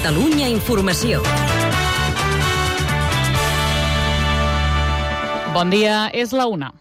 Catalunya Informació. Bon dia, és la 1.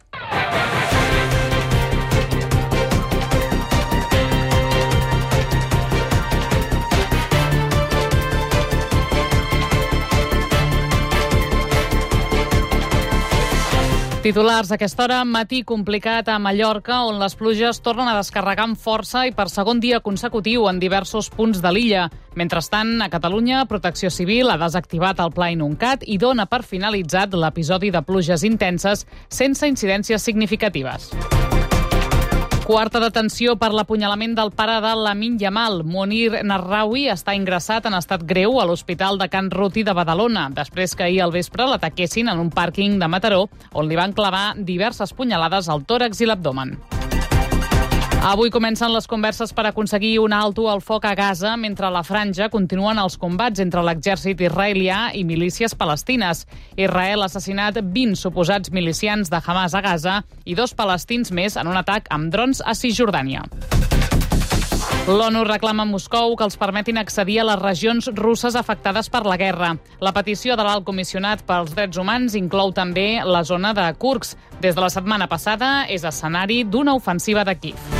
Titulars a aquesta hora, matí complicat a Mallorca, on les pluges tornen a descarregar amb força i per segon dia consecutiu en diversos punts de l'illa. Mentrestant, a Catalunya, Protecció Civil ha desactivat el Pla Inuncat i dona per finalitzat l'episodi de pluges intenses sense incidències significatives. Quarta detenció per l'apunyalament del pare de Lamine Yamal. Monir Narraoui està ingressat en estat greu a l'Hospital de Can Ruti de Badalona, després que ahir al vespre l'ataquessin en un pàrquing de Mataró, on li van clavar diverses punyalades al tòrax i l'abdomen. Avui comencen les converses per aconseguir un alto al foc a Gaza, mentre a la franja continuen els combats entre l'exèrcit israelià i milícies palestines. Israel ha assassinat 20 suposats milicians de Hamas a Gaza i 2 palestins més en un atac amb drons a Cisjordània. L'ONU reclama a Moscou que els permetin accedir a les regions russes afectades per la guerra. La petició de l'Alt Comissionat pels Drets Humans inclou també la zona de Kursk. Des de la setmana passada és escenari d'una ofensiva de Kíev.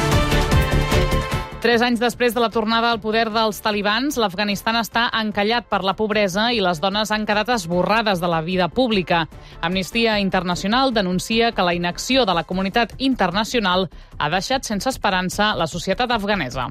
3 anys després de la tornada al poder dels talibans, l'Afganistan està encallat per la pobresa i les dones han quedat esborrades de la vida pública. Amnistia Internacional denuncia que la inacció de la comunitat internacional ha deixat sense esperança la societat afganesa.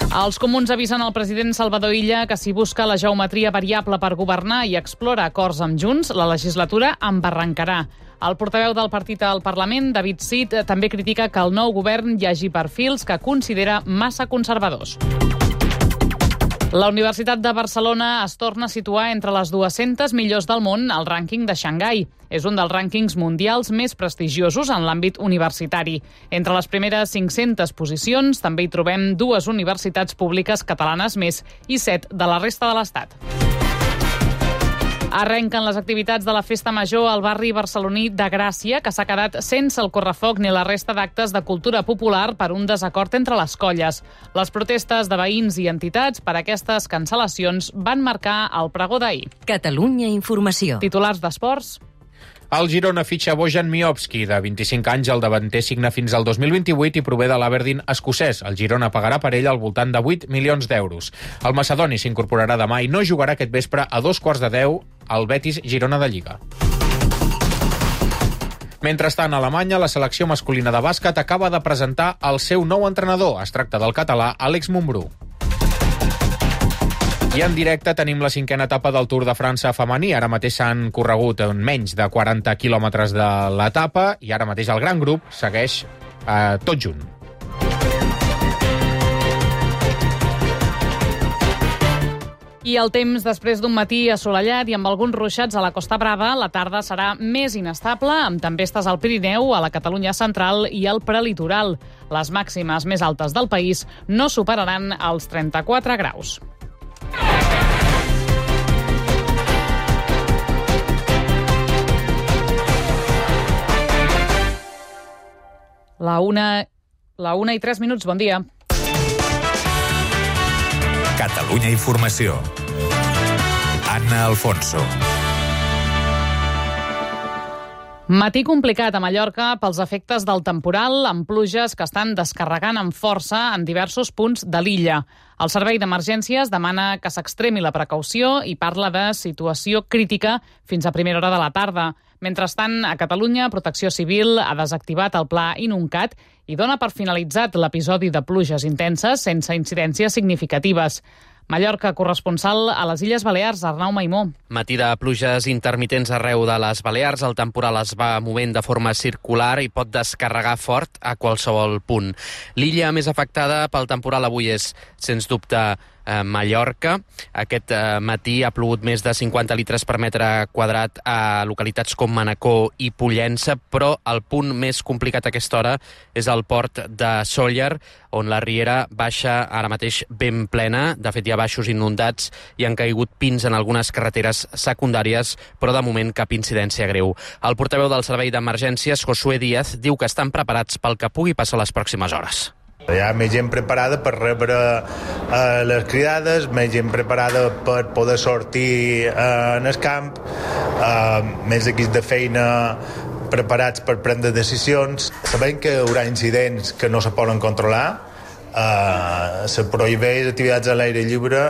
Els comuns avisen al president Salvador Illa que si busca la geometria variable per governar i explora acords amb Junts, la legislatura embarrancarà. El portaveu del partit al Parlament, David Cid, també critica que el nou govern hi hagi perfils que considera massa conservadors. La Universitat de Barcelona es torna a situar entre les 200 millors del món al rànquing de Xangai. És un dels rànquings mundials més prestigiosos en l'àmbit universitari. Entre les primeres 500 posicions també hi trobem 2 universitats públiques catalanes més i 7 de la resta de l'Estat. Arrenquen les activitats de la Festa Major al barri barceloní de Gràcia, que s'ha quedat sense el correfoc ni la resta d'actes de cultura popular per un desacord entre les colles. Les protestes de veïns i entitats per aquestes cancel·lacions van marcar el pregó d'ahir. Catalunya Informació. Titulars d'esports. El Girona fitxa Bojan Miovski, de 25 anys. El davanter signa fins al 2028 i prové de l'Aberdeen escocès. El Girona pagarà per ell al voltant de 8 milions d'euros. El macedoni s'incorporarà demà i no jugarà aquest vespre a 9:15 al Betis Girona de Lliga. Mentrestant, a Alemanya, la selecció masculina de bàsquet acaba de presentar el seu nou entrenador. Es tracta del català Àlex Mumbrú. I en directe tenim la 5a etapa del Tour de França femení. Ara mateix s'han corregut en menys de 40 quilòmetres de l'etapa i ara mateix el gran grup segueix tot junt. I el temps, després d'un matí assolellat i amb alguns ruixats a la Costa Brava, la tarda serà més inestable, amb tempestes al Pirineu, a la Catalunya central i al prelitoral. Les màximes més altes del país no superaran els 34 graus. La 1:03, bon dia. Catalunya Informació. Anna Alfonso. Matí complicat a Mallorca pels efectes del temporal, amb pluges que estan descarregant amb força en diversos punts de l'illa. El Servei d'Emergències demana que s'extremi la precaució i parla de situació crítica fins a primera hora de la tarda. Mentrestant, a Catalunya, Protecció Civil ha desactivat el Pla Inuncat i dona per finalitzat l'episodi de pluges intenses sense incidències significatives. Mallorca, corresponsal a les Illes Balears, Arnau Maimó. Matí de pluges intermitents arreu de les Balears. El temporal es va movent de forma circular i pot descarregar fort a qualsevol punt. L'illa més afectada pel temporal avui és, sens dubte, Mallorca. Aquest matí ha plogut més de 50 litres per metre quadrat a localitats com Manacor i Pollença, però el punt més complicat a aquesta hora és el port de Sóller, on la riera baixa ara mateix ben plena. De fet, hi ha baixos inundats i han caigut pins en algunes carreteres secundàries, però de moment cap incidència greu. El portaveu del Servei d'Emergències, Josué Díaz, diu que estan preparats pel que pugui passar les pròximes hores. Hi ha més gent preparada per rebre les cridades, més gent preparada per poder sortir en el camp, més equips de feina preparats per prendre decisions. Sabem que hi haurà incidents que no se poden controlar, se prohibeix activitats a l'aire lliure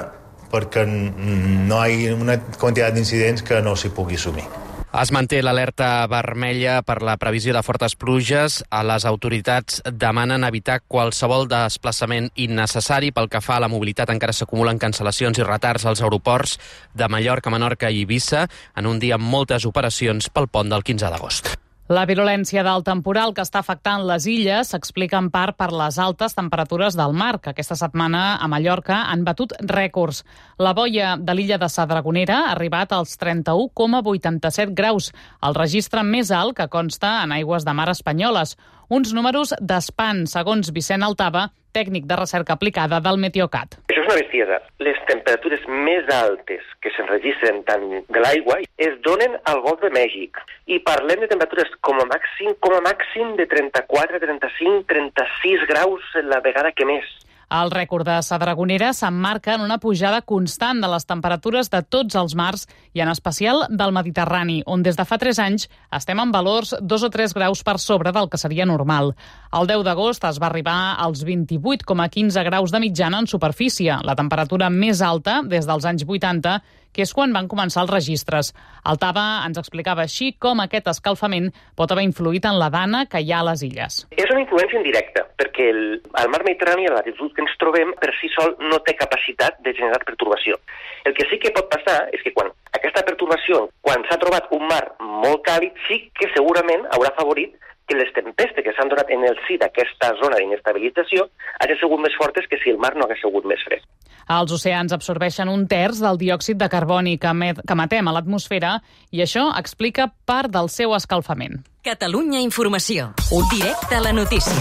perquè no hi ha una quantitat d'incidents que no s'hi pugui assumir. Es manté l'alerta vermella per la previsió de fortes pluges. Les autoritats demanen evitar qualsevol desplaçament innecessari. Pel que fa a la mobilitat, encara s'acumulen cancel·lacions i retards als aeroports de Mallorca, Menorca i Eivissa en un dia amb moltes operacions pel pont del 15 d'agost. La virulència del temporal que està afectant les illes s'explica en part per les altes temperatures del mar, que aquesta setmana a Mallorca han batut rècords. La boia de l'illa de Sa Dragonera ha arribat als 31,87 graus, el registre més alt que consta en aigües de mar espanyoles. Uns números d'espant, segons Vicent Altava, tècnic de recerca aplicada del Meteocat. Això és una bestiesa. Les temperatures més altes que s'enregistren tant de l'aigua es donen al Golf de Mèxic. I parlem de temperatures com a màxim de 34, 35, 36 graus la vegada que més. El rècord de Sa Dragonera s'emmarca en una pujada constant de les temperatures de tots els mars i en especial del Mediterrani, on des de fa 3 anys estem en valors 2 o 3 graus per sobre del que seria normal. El 10 d'agost es va arribar als 28,15 graus de mitjana en superfície, la temperatura més alta des dels anys 80, que és quan van començar els registres. Altava ens explicava així com aquest escalfament pot haver influït en la dana que hi ha a les illes. És una influència indirecta, perquè el mar Mediterrani, a la latitud que ens trobem, per si sol no té capacitat de generar pertorbació. El que sí que pot passar és que quan aquesta pertorbació, quan s'ha trobat un mar molt càlid, sí que segurament haurà favorit que les tempestes que s'han donat en el si d'aquesta zona d'inestabilització hagin sigut més fortes que si el mar no hagués sigut més fred. Els oceans absorbeixen 1/3 del diòxid de carboni que emetem a l'atmosfera i això explica part del seu escalfament. Catalunya Informació. Directe a la notícia.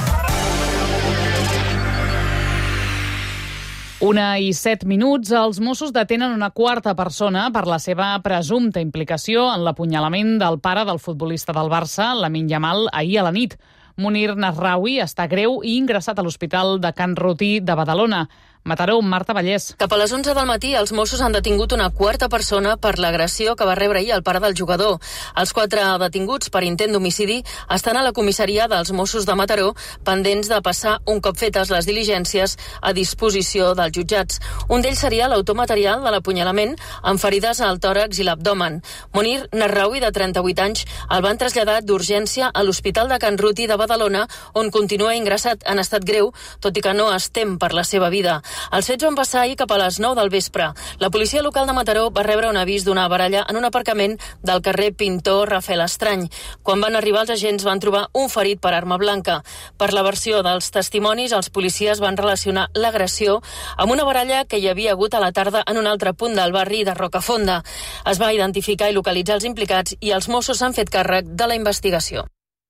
1:07. Els Mossos detenen una quarta persona per la seva presumpta implicació en l'apunyalament del pare del futbolista del Barça, Lamine Yamal, ahir a la nit. Munir Nasraoui està greu i ingressat a l'Hospital de Can Rutí de Badalona. Mataró, Marta Vallès. Cap a les 11 del matí, els Mossos han detingut una quarta persona per l'agressió que va rebre ahir el pare del jugador. Els 4 detinguts per intent d'homicidi estan a la comissaria dels Mossos de Mataró, pendents de passar, un cop fetes les diligències, a disposició dels jutjats. Un d'ells seria l'autor material de l'apunyalament, amb ferides al tòrax i l'abdomen. Munir Nasraoui, de 38 anys, el van traslladar d'urgència a l'Hospital de Can Rutí de Badalona, on continua ingressat en estat greu, tot i que no es tem per la seva vida. Els fets van passar ahir cap a les 9 del vespre. La policia local de Mataró va rebre un avís d'una baralla en un aparcament del carrer Pintor Rafael Estrany. Quan van arribar els agents van trobar un ferit per arma blanca. Per la versió dels testimonis, els policies van relacionar l'agressió amb una baralla que hi havia hagut a la tarda en un altre punt del barri de Rocafonda. Es va identificar i localitzar els implicats i els Mossos s'han fet càrrec de la investigació.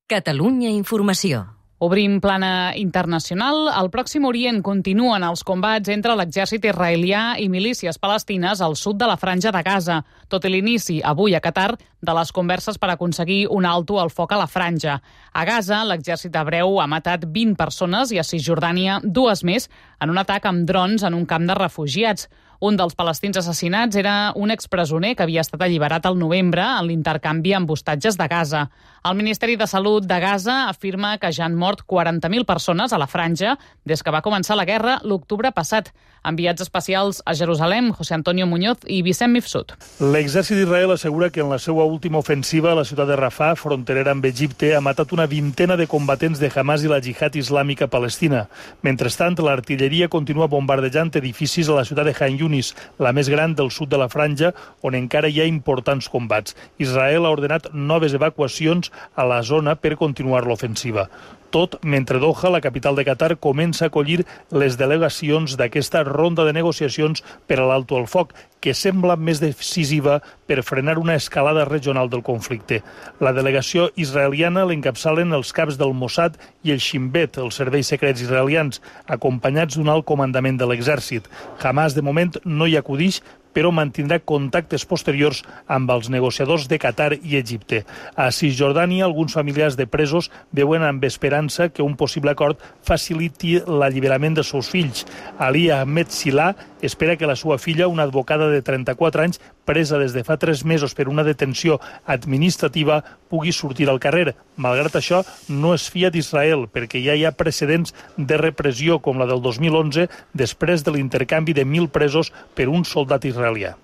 Catalunya Informació. Obrim plana internacional. Al Pròxim Orient continuen els combats entre l'exèrcit israelià i milícies palestines al sud de la Franja de Gaza, tot i l'inici, avui a Qatar, de les converses per aconseguir un alto al foc a la franja. A Gaza, l'exèrcit hebreu ha matat 20 persones i a Cisjordània 2 més en un atac amb drons en un camp de refugiats. Un dels palestins assassinats era un expresoner que havia estat alliberat al novembre en l'intercanvi amb hostatges de Gaza. El Ministeri de Salut de Gaza afirma que ja han mort 40.000 persones a la franja des que va començar la guerra l'octubre passat. Enviats especials a Jerusalem, José Antonio Muñoz i Vicent Mifsud. L'exèrcit d'Israel assegura que en la seva última ofensiva a la ciutat de Rafah, fronterera amb Egipte, ha matat una vintena de combatents de Hamas i la Jihad Islàmica Palestina. Mentrestant, l'artilleria continua bombardejant edificis a la ciutat de Han Yunis, la més gran del sud de la franja, on encara hi ha importants combats. Israel ha ordenat noves evacuacions a la zona per continuar l'ofensiva. Tot mentre Doha, la capital de Qatar, comença a acollir les delegacions d'aquesta ronda de negociacions per a l'alto al foc, que sembla més decisiva per frenar una escalada regional del conflicte. La delegació israeliana l'encapçalen els caps del Mossad i el Shin Bet, els serveis secrets israelians, acompanyats d'un alt comandament de l'exèrcit. Hamas, de moment, no hi acudix, però mantindrà contactes posteriors amb els negociadors de Qatar i Egipte. A Cisjordània, alguns familiars de presos veuen amb esperança que un possible acord faciliti l'alliberament dels seus fills. Ali Ahmed Silà espera que la seva filla, una advocada de 34 anys, presa des de fa 3 mesos per una detenció administrativa, pugui sortir al carrer. Malgrat això, no es fia d'Israel, perquè ja hi ha precedents de repressió, com la del 2011, després de l'intercanvi de 1.000 presos per un soldat israelià.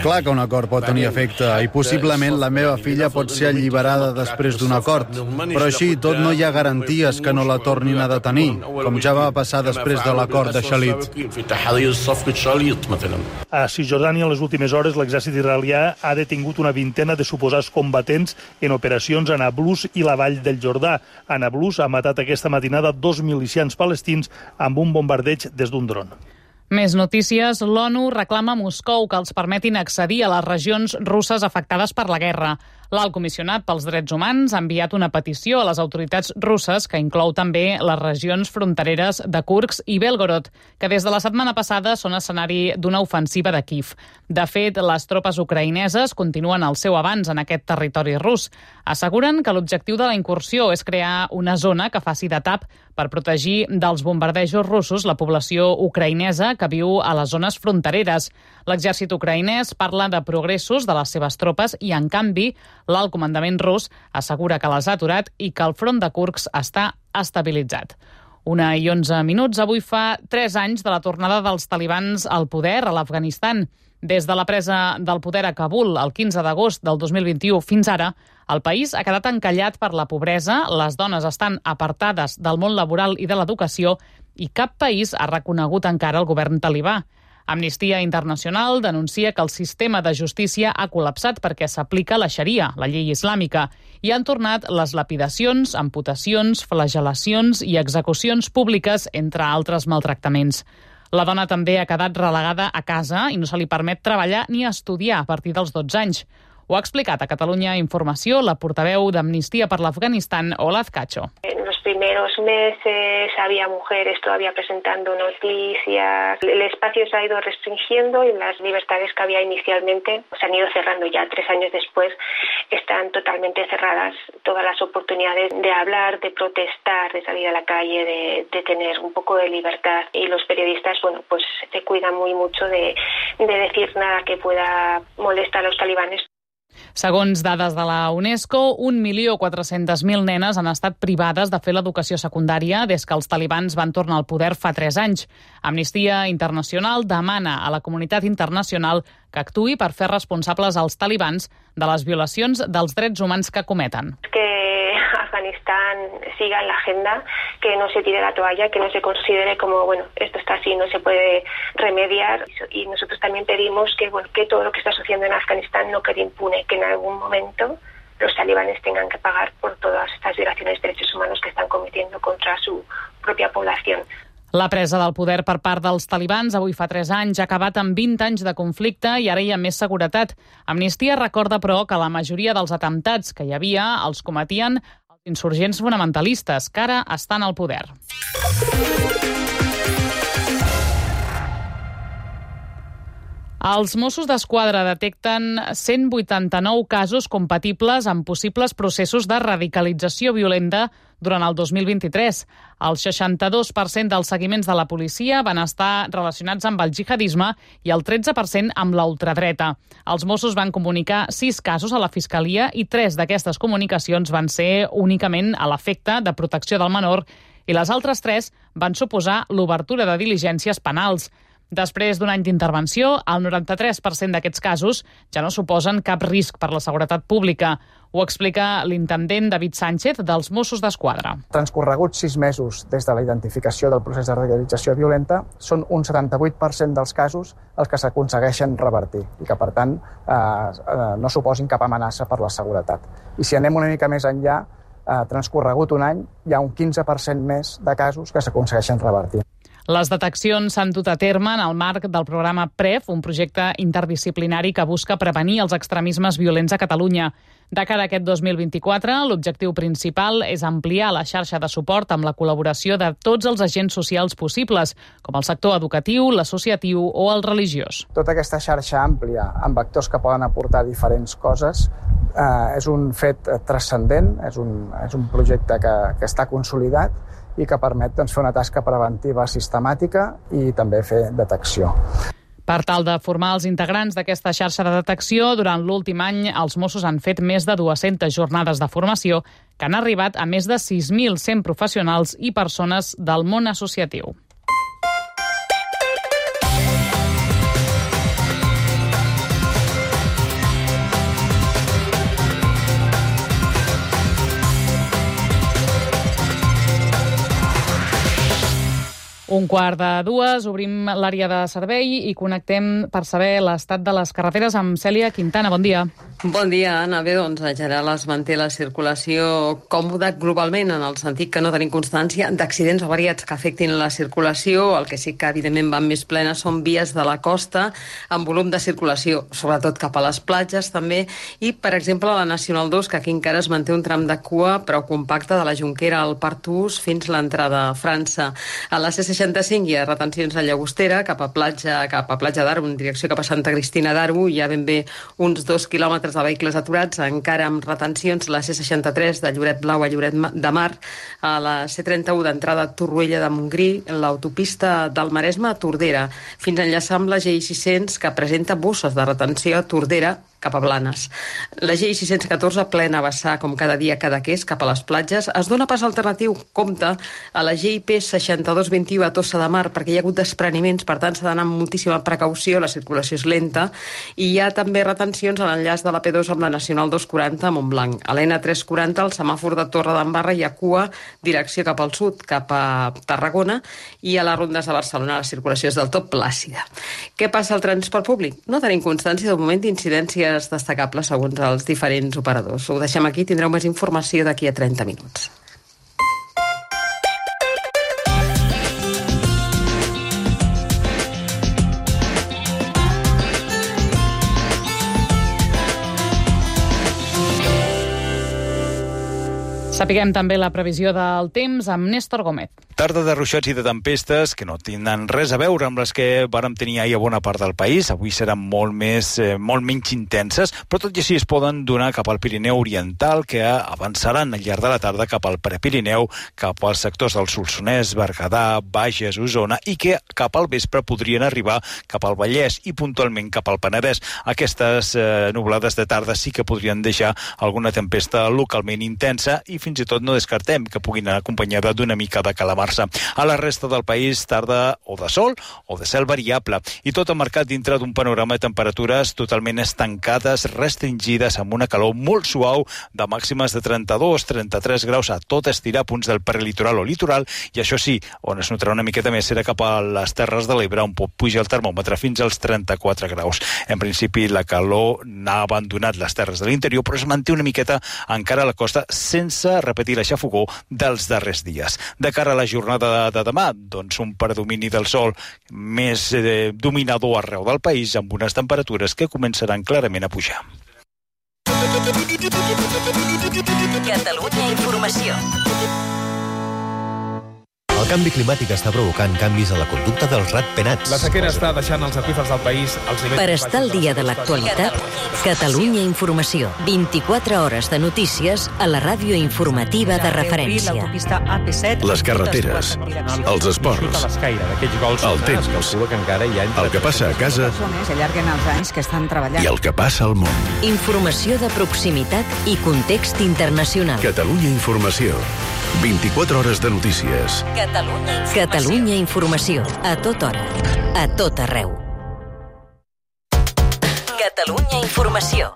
Clar que un acord pot tenir efecte i possiblement la meva filla pot ser alliberada després d'un acord, però així tot no hi ha garanties que no la tornin a detenir, com ja va passar després de l'acord de Shalit. A Cisjordània, en les últimes hores, l'exèrcit israelià ha detingut una vintena de suposats combatents en operacions a Nablus i la vall del Jordà. A Nablus ha matat aquesta matinada 2 milicians palestins amb un bombardeig des d'un dron. Més notícies. L'ONU reclama a Moscou que els permetin accedir a les regions russes afectades per la guerra. L'alt comissionat pels drets humans ha enviat una petició a les autoritats russes que inclou també les regions frontereres de Kursk i Belgorod, que des de la setmana passada són escenari d'una ofensiva de Kíev. De fet, les tropes ucraïneses continuen el seu avanç en aquest territori rus. Asseguren que l'objectiu de la incursió és crear una zona que faci de tap per protegir dels bombardejos russos la població ucraïnesa que viu a les zones frontereres. L'exèrcit ucraïnès parla de progressos de les seves tropes i, en canvi, l'alt comandament rus assegura que les ha aturat i que el front de Kursk està estabilitzat. 1:11. Avui fa 3 anys de la tornada dels talibans al poder a l'Afganistan. Des de la presa del poder a Kabul el 15 d'agost del 2021 fins ara, el país ha quedat encallat per la pobresa, les dones estan apartades del món laboral i de l'educació i cap país ha reconegut encara el govern talibà. Amnistia Internacional denuncia que el sistema de justícia ha col·lapsat perquè s'aplica la xaria, la llei islàmica, i han tornat les lapidacions, amputacions, flagel·lacions i execucions públiques, entre altres maltractaments. La dona també ha quedat relegada a casa i no se li permet treballar ni estudiar a partir dels 12 anys. Ho ha explicat a Catalunya Informació la portaveu d'Amnistia per l'Afganistan, Olaz Cacho. En los primeros meses había mujeres todavía presentando noticias. El espacio se ha ido restringiendo y las libertades que había inicialmente se han ido cerrando ya. 3 años después están totalmente cerradas todas las oportunidades de hablar, de protestar, de salir a la calle, de tener un poco de libertad. Y los periodistas, pues se cuidan muy mucho de decir nada que pueda molestar a los talibanes. Segons dades de la UNESCO, 1.400.000 nenes han estat privades de fer l'educació secundària des que els talibans van tornar al poder fa 3 anys. Amnistia Internacional demana a la comunitat internacional que actuï per fer responsables als talibans de les violacions dels drets humans que cometen. Que Afganistán siga en la agenda, que no se tire la toalla, que no se considere como, esto está así, no se puede remediar. Y nosotros también pedimos que todo lo que está sucediendo en Afganistán no quede impune, que en algún momento los talibanes tengan que pagar por todas estas violaciones de derechos humanos que están cometiendo contra su propia población. La presa del poder per part dels talibans avui fa 3 anys ha acabat amb 20 anys de conflicte i ara hi ha més seguretat. Amnistia recorda, però, que la majoria dels atemptats que hi havia els cometien els insurgents fonamentalistes, que ara estan al poder. Els Mossos d'Esquadra detecten 189 casos compatibles amb possibles processos de radicalització violenta durant el 2023. El 62% dels seguiments de la policia van estar relacionats amb el jihadisme i el 13% amb la ultradreta. Els Mossos van comunicar 6 casos a la Fiscalia i 3 d'aquestes comunicacions van ser únicament a l'efecte de protecció del menor i les altres 3 van suposar l'obertura de diligències penals. Després d'un any d'intervenció, el 93% d'aquests casos ja no suposen cap risc per la seguretat pública. Ho explica l'intendent David Sánchez dels Mossos d'Esquadra. Transcorreguts 6 mesos des de la identificació del procés de radicalització violenta, són un 78% dels casos els que s'aconsegueixen revertir i que, per tant, no suposin cap amenaça per la seguretat. I si anem una mica més enllà, transcorregut un any, hi ha un 15% més de casos que s'aconsegueixen revertir. Les deteccions s'han dut a terme en el marc del programa PREF, un projecte interdisciplinari que busca prevenir els extremismes violents a Catalunya. De cara a aquest 2024, l'objectiu principal és ampliar la xarxa de suport amb la col·laboració de tots els agents socials possibles, com el sector educatiu, l'associatiu o el religiós. Tota aquesta xarxa àmplia, amb actors que poden aportar diferents coses, és un fet transcendent, és un projecte que està consolidat i que permet fer una tasca preventiva sistemàtica i també fer detecció. Per tal de formar els integrants d'aquesta xarxa de detecció, durant l'últim any els Mossos han fet més de 200 jornades de formació que han arribat a més de 6.100 professionals i persones del món associatiu. Un quart de dues, obrim l'àrea de servei i connectem per saber l'estat de les carreteres amb Cèlia Quintana. Bon dia. Bon dia, Anna. Bé, doncs, en general es manté la circulació còmoda globalment, en el sentit que no tenim constància d'accidents o variats que afectin la circulació. El que sí que, evidentment, van més plenes són vies de la costa amb volum de circulació, sobretot cap a les platges, també. I, per exemple, la Nacional 2, que aquí encara es manté un tram de cua prou compacte de la Jonquera al Partús fins l'entrada a França. A la C65 hi ha retencions a Llagostera, cap a platja d'Arbo, en direcció cap a Santa Cristina d'Arbo. Hi ha ben bé uns 2 quilòmetres de vehicles aturats, encara amb retencions la C63 de Lloret Blau a Lloret de Mar, a la C31 d'entrada a Torroella de Montgrí, l'autopista del Maresme a Tordera, fins a enllaçar amb la GI600, que presenta bosses de retenció a Tordera cap a Blanes. La GI614 plena a vessar com cada dia a Cadaqués cap a les platges. Es dona pas alternatiu, compte, a la GIP 6221 a Tossa de Mar, perquè hi ha hagut despreniments, per tant s'ha d'anar amb moltíssima precaució, la circulació és lenta, i hi ha també retencions a l'enllaç de la P2 amb la Nacional 240 a Montblanc. A l'N340, al semàfor de Torre d'Embarra, hi ha cua, direcció cap al sud, cap a Tarragona, i a les rondes de Barcelona la circulació és del tot plàcida. Què passa al transport públic? No tenim constància de moment d'incidències destacables segons els diferents operadors. Ho deixem aquí, tindreu més informació d'aquí a 30 minuts. Sapiguem també la previsió del temps amb Néstor Gómez. Tarda de ruixats i de tempestes que no tindran res a veure amb les que vàrem tenir ahir a bona part del país. Avui seran molt menys intenses, però tot i així es poden donar cap al Pirineu Oriental, que avançaran al llarg de la tarda cap al Prepirineu, cap als sectors del Solsonès, Berguedà, Bages, Osona, i que cap al vespre podrien arribar cap al Vallès i puntualment cap al Penedès. Aquestes nublades de tarda sí que podrien deixar alguna tempesta localment intensa i fins i tot no descartem que puguin anar acompanyada d'una mica de calamarsa. A la resta del país, tarda o de sol o de cel variable, i tot emmarcat dintre d'un panorama de temperatures totalment estancades, restringides, amb una calor molt suau de màximes de 32-33 graus a tot estirar, punts del prelitoral o litoral, i això sí, on es notarà una miqueta més serà cap a les Terres de l'Ebre, on pot pujar el termòmetre fins als 34 graus. En principi, la calor n'ha abandonat les terres de l'interior, però es manté una miqueta encara a la costa, sense repetir la xafogor dels darrers dies. De cara a la jornada de demà, doncs un predomini del sol més dominador arreu del país, amb unes temperatures que començaran clarament a pujar. Catalunya Informació. El canvi climàtic està provocant canvis a la conducta dels ratpenats. La sequera està deixant els aqüífers del país als nivells... Per estar al dia de l'actualitat, Catalunya Informació. 24 hores de notícies a la ràdio informativa de referència. Les carreteres, els esports, el temps, el que passa a casa i el que passa al món. Informació de proximitat i context internacional. Catalunya Informació. 24 hores de notícies. Catalunya Informació. A tota hora. A tot arreu. Catalunya Informació.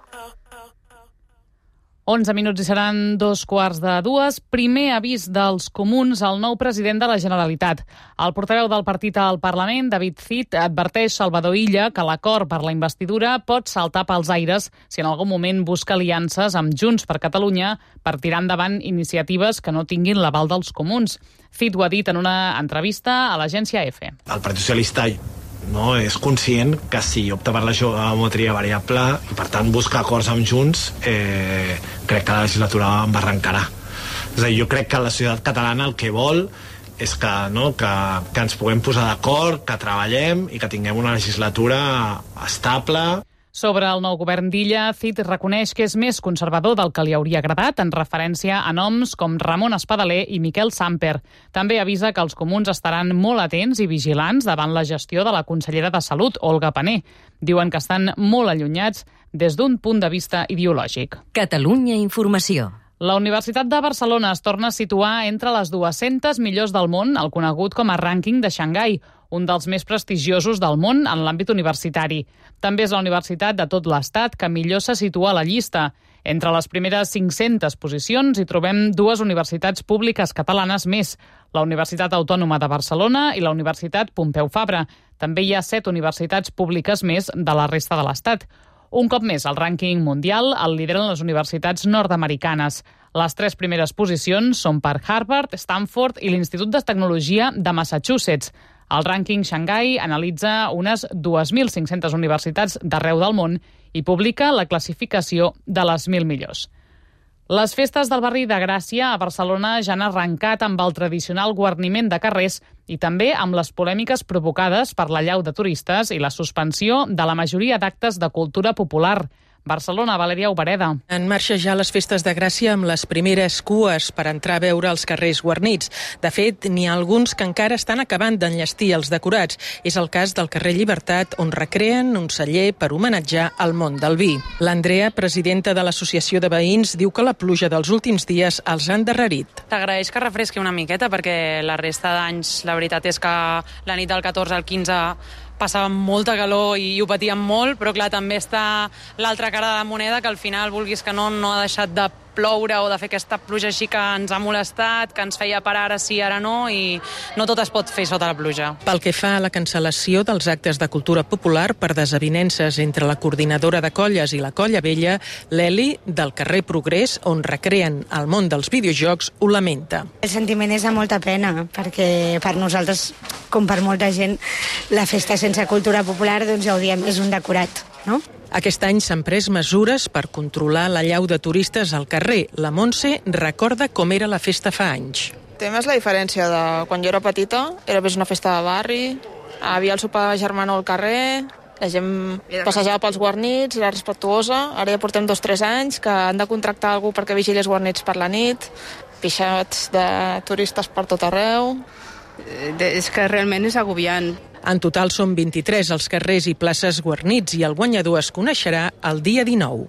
11 minuts i seran 2:45. Primer avís dels comuns al nou president de la Generalitat. El portaveu del partit al Parlament, David Cid, adverteix Salvador Illa que l'acord per la investidura pot saltar pels aires si en algun moment busca aliances amb Junts per Catalunya per tirar endavant iniciatives que no tinguin l'aval dels comuns. Cid ho ha dit en una entrevista a l'agència EFE. El Partit Socialista és conscient que si opta per la geometria variable i per tant busca acords amb Junts, crec que la legislatura embarrancarà. És a dir, jo crec que la societat catalana el que vol és que ens puguem posar d'acord, que treballem i que tinguem una legislatura estable. Sobre el nou govern d'Illa, Cid reconeix que és més conservador del que li hauria agradat, en referència a noms com Ramon Espadaler i Miquel Samper. També avisa que els comuns estaran molt atents i vigilants davant la gestió de la consellera de Salut, Olga Pané. Diuen que estan molt allunyats des d'un punt de vista ideològic. Catalunya Informació. La Universitat de Barcelona es torna a situar entre les 200 millors del món, el conegut com a rànquing de Xangai, un dels més prestigiosos del món en l'àmbit universitari. També és la universitat de tot l'Estat que millor se situa a la llista. Entre les primeres 500 posicions hi trobem dues universitats públiques catalanes més, la Universitat Autònoma de Barcelona i la Universitat Pompeu Fabra. També hi ha 7 universitats públiques més de la resta de l'Estat. Un cop més, el rànquing mundial el lideren les universitats nord-americanes. Les 3 primeres posicions són per Harvard, Stanford i l'Institut de Tecnologia de Massachusetts. El rànquing Xangai analitza unes 2.500 universitats d'arreu del món i publica la classificació de les 1.000 millors. Les festes del barri de Gràcia a Barcelona ja han arrencat amb el tradicional guarniment de carrers i també amb les polèmiques provocades per l'allau de turistes i la suspensió de la majoria d'actes de cultura popular. Barcelona, Valeria Obereda. En marxa ja les festes de Gràcia amb les primeres cues per entrar a veure els carrers guarnits. De fet, n'hi ha alguns que encara estan acabant d'enllestir els decorats. És el cas del carrer Llibertat, on recreen un celler per homenatjar el món del vi. L'Andrea, presidenta de l'Associació de Veïns, diu que la pluja dels últims dies els ha endarrerit. T'agraeix que refresqui una miqueta, perquè la resta d'anys, la veritat és que la nit del 14 al 15 passàvem molta calor i ho patíem molt, però clar, també està l'altra cara de la moneda, que al final, vulguis que no ha deixat de ploure o de fer aquesta pluja així que ens ha molestat, que ens feia parar ara sí, ara no, i no tot es pot fer sota la pluja. Pel que fa a la cancel·lació dels actes de cultura popular per desavinences entre la coordinadora de colles i la Colla Vella, l'Eli, del carrer Progrés, on recreen el món dels videojocs, ho lamenta. El sentiment és de molta pena, perquè per nosaltres, com per molta gent, la festa sense cultura popular, doncs ja ho diem, és un decorat, no? Aquest any s'han pres mesures per controlar l'allau de turistes al carrer. La Montse recorda com era la festa fa anys. El tema és la diferència de quan jo era petita, era més una festa de barri, havia el sopar de germanor al carrer, la gent passejava pels guarnits, era respectuosa. Ara ja portem 2 o 3 anys que han de contractar algú perquè vigili els guarnits per la nit, pixats de turistes per tot arreu. És que realment és agobiant. En total són 23 els carrers i places guarnits i el guanyador es coneixerà el dia 19.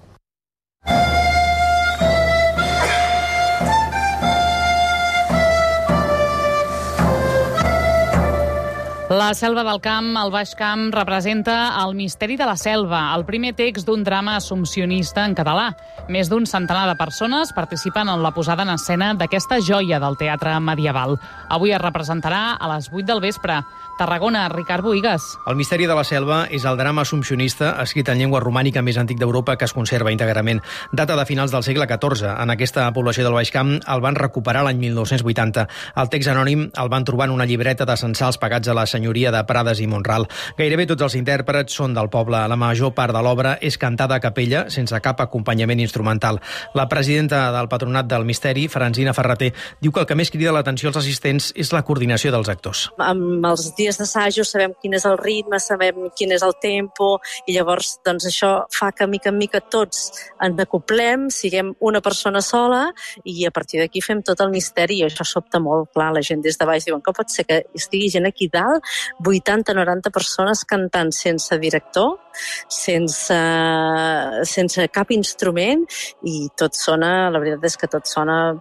La selva del camp, el Baix Camp, representa el misteri de la selva, el primer text d'un drama assumpcionista en català. Més d'un centenar de persones participen en la posada en escena d'aquesta joia del teatre medieval. Avui es representarà a les 8 del vespre. Tarragona, Ricard Bohigas. El misteri de la selva és el drama assumpcionista escrit en llengua romànica més antic d'Europa que es conserva íntegrament. Data de finals del segle XIV. En aquesta població del Baix Camp el van recuperar l'any 1980. El text anònim el van trobar en una llibreta de censals pagats a la senyoria de Prades i Mont-ral. Gairebé tots els intèrprets són del poble. La major part de l'obra és cantada a capella, sense cap acompanyament instrumental. La presidenta del Patronat del Misteri, Francina Ferreter, diu que el que més crida l'atenció als assistents és la coordinació dels actors. Amb els dies d'assajo sabem quin és el ritme, sabem quin és el tempo, i llavors doncs, això fa que mica en mica tots ens acoplem, siguem una persona sola, i a partir d'aquí fem tot el misteri, i això sobta molt. Clar, la gent des de baix diuen, com pot ser que estigui gent aquí dalt, 80-90 persones cantant sense director, sense cap instrument, i tot sona, la veritat és que tot sona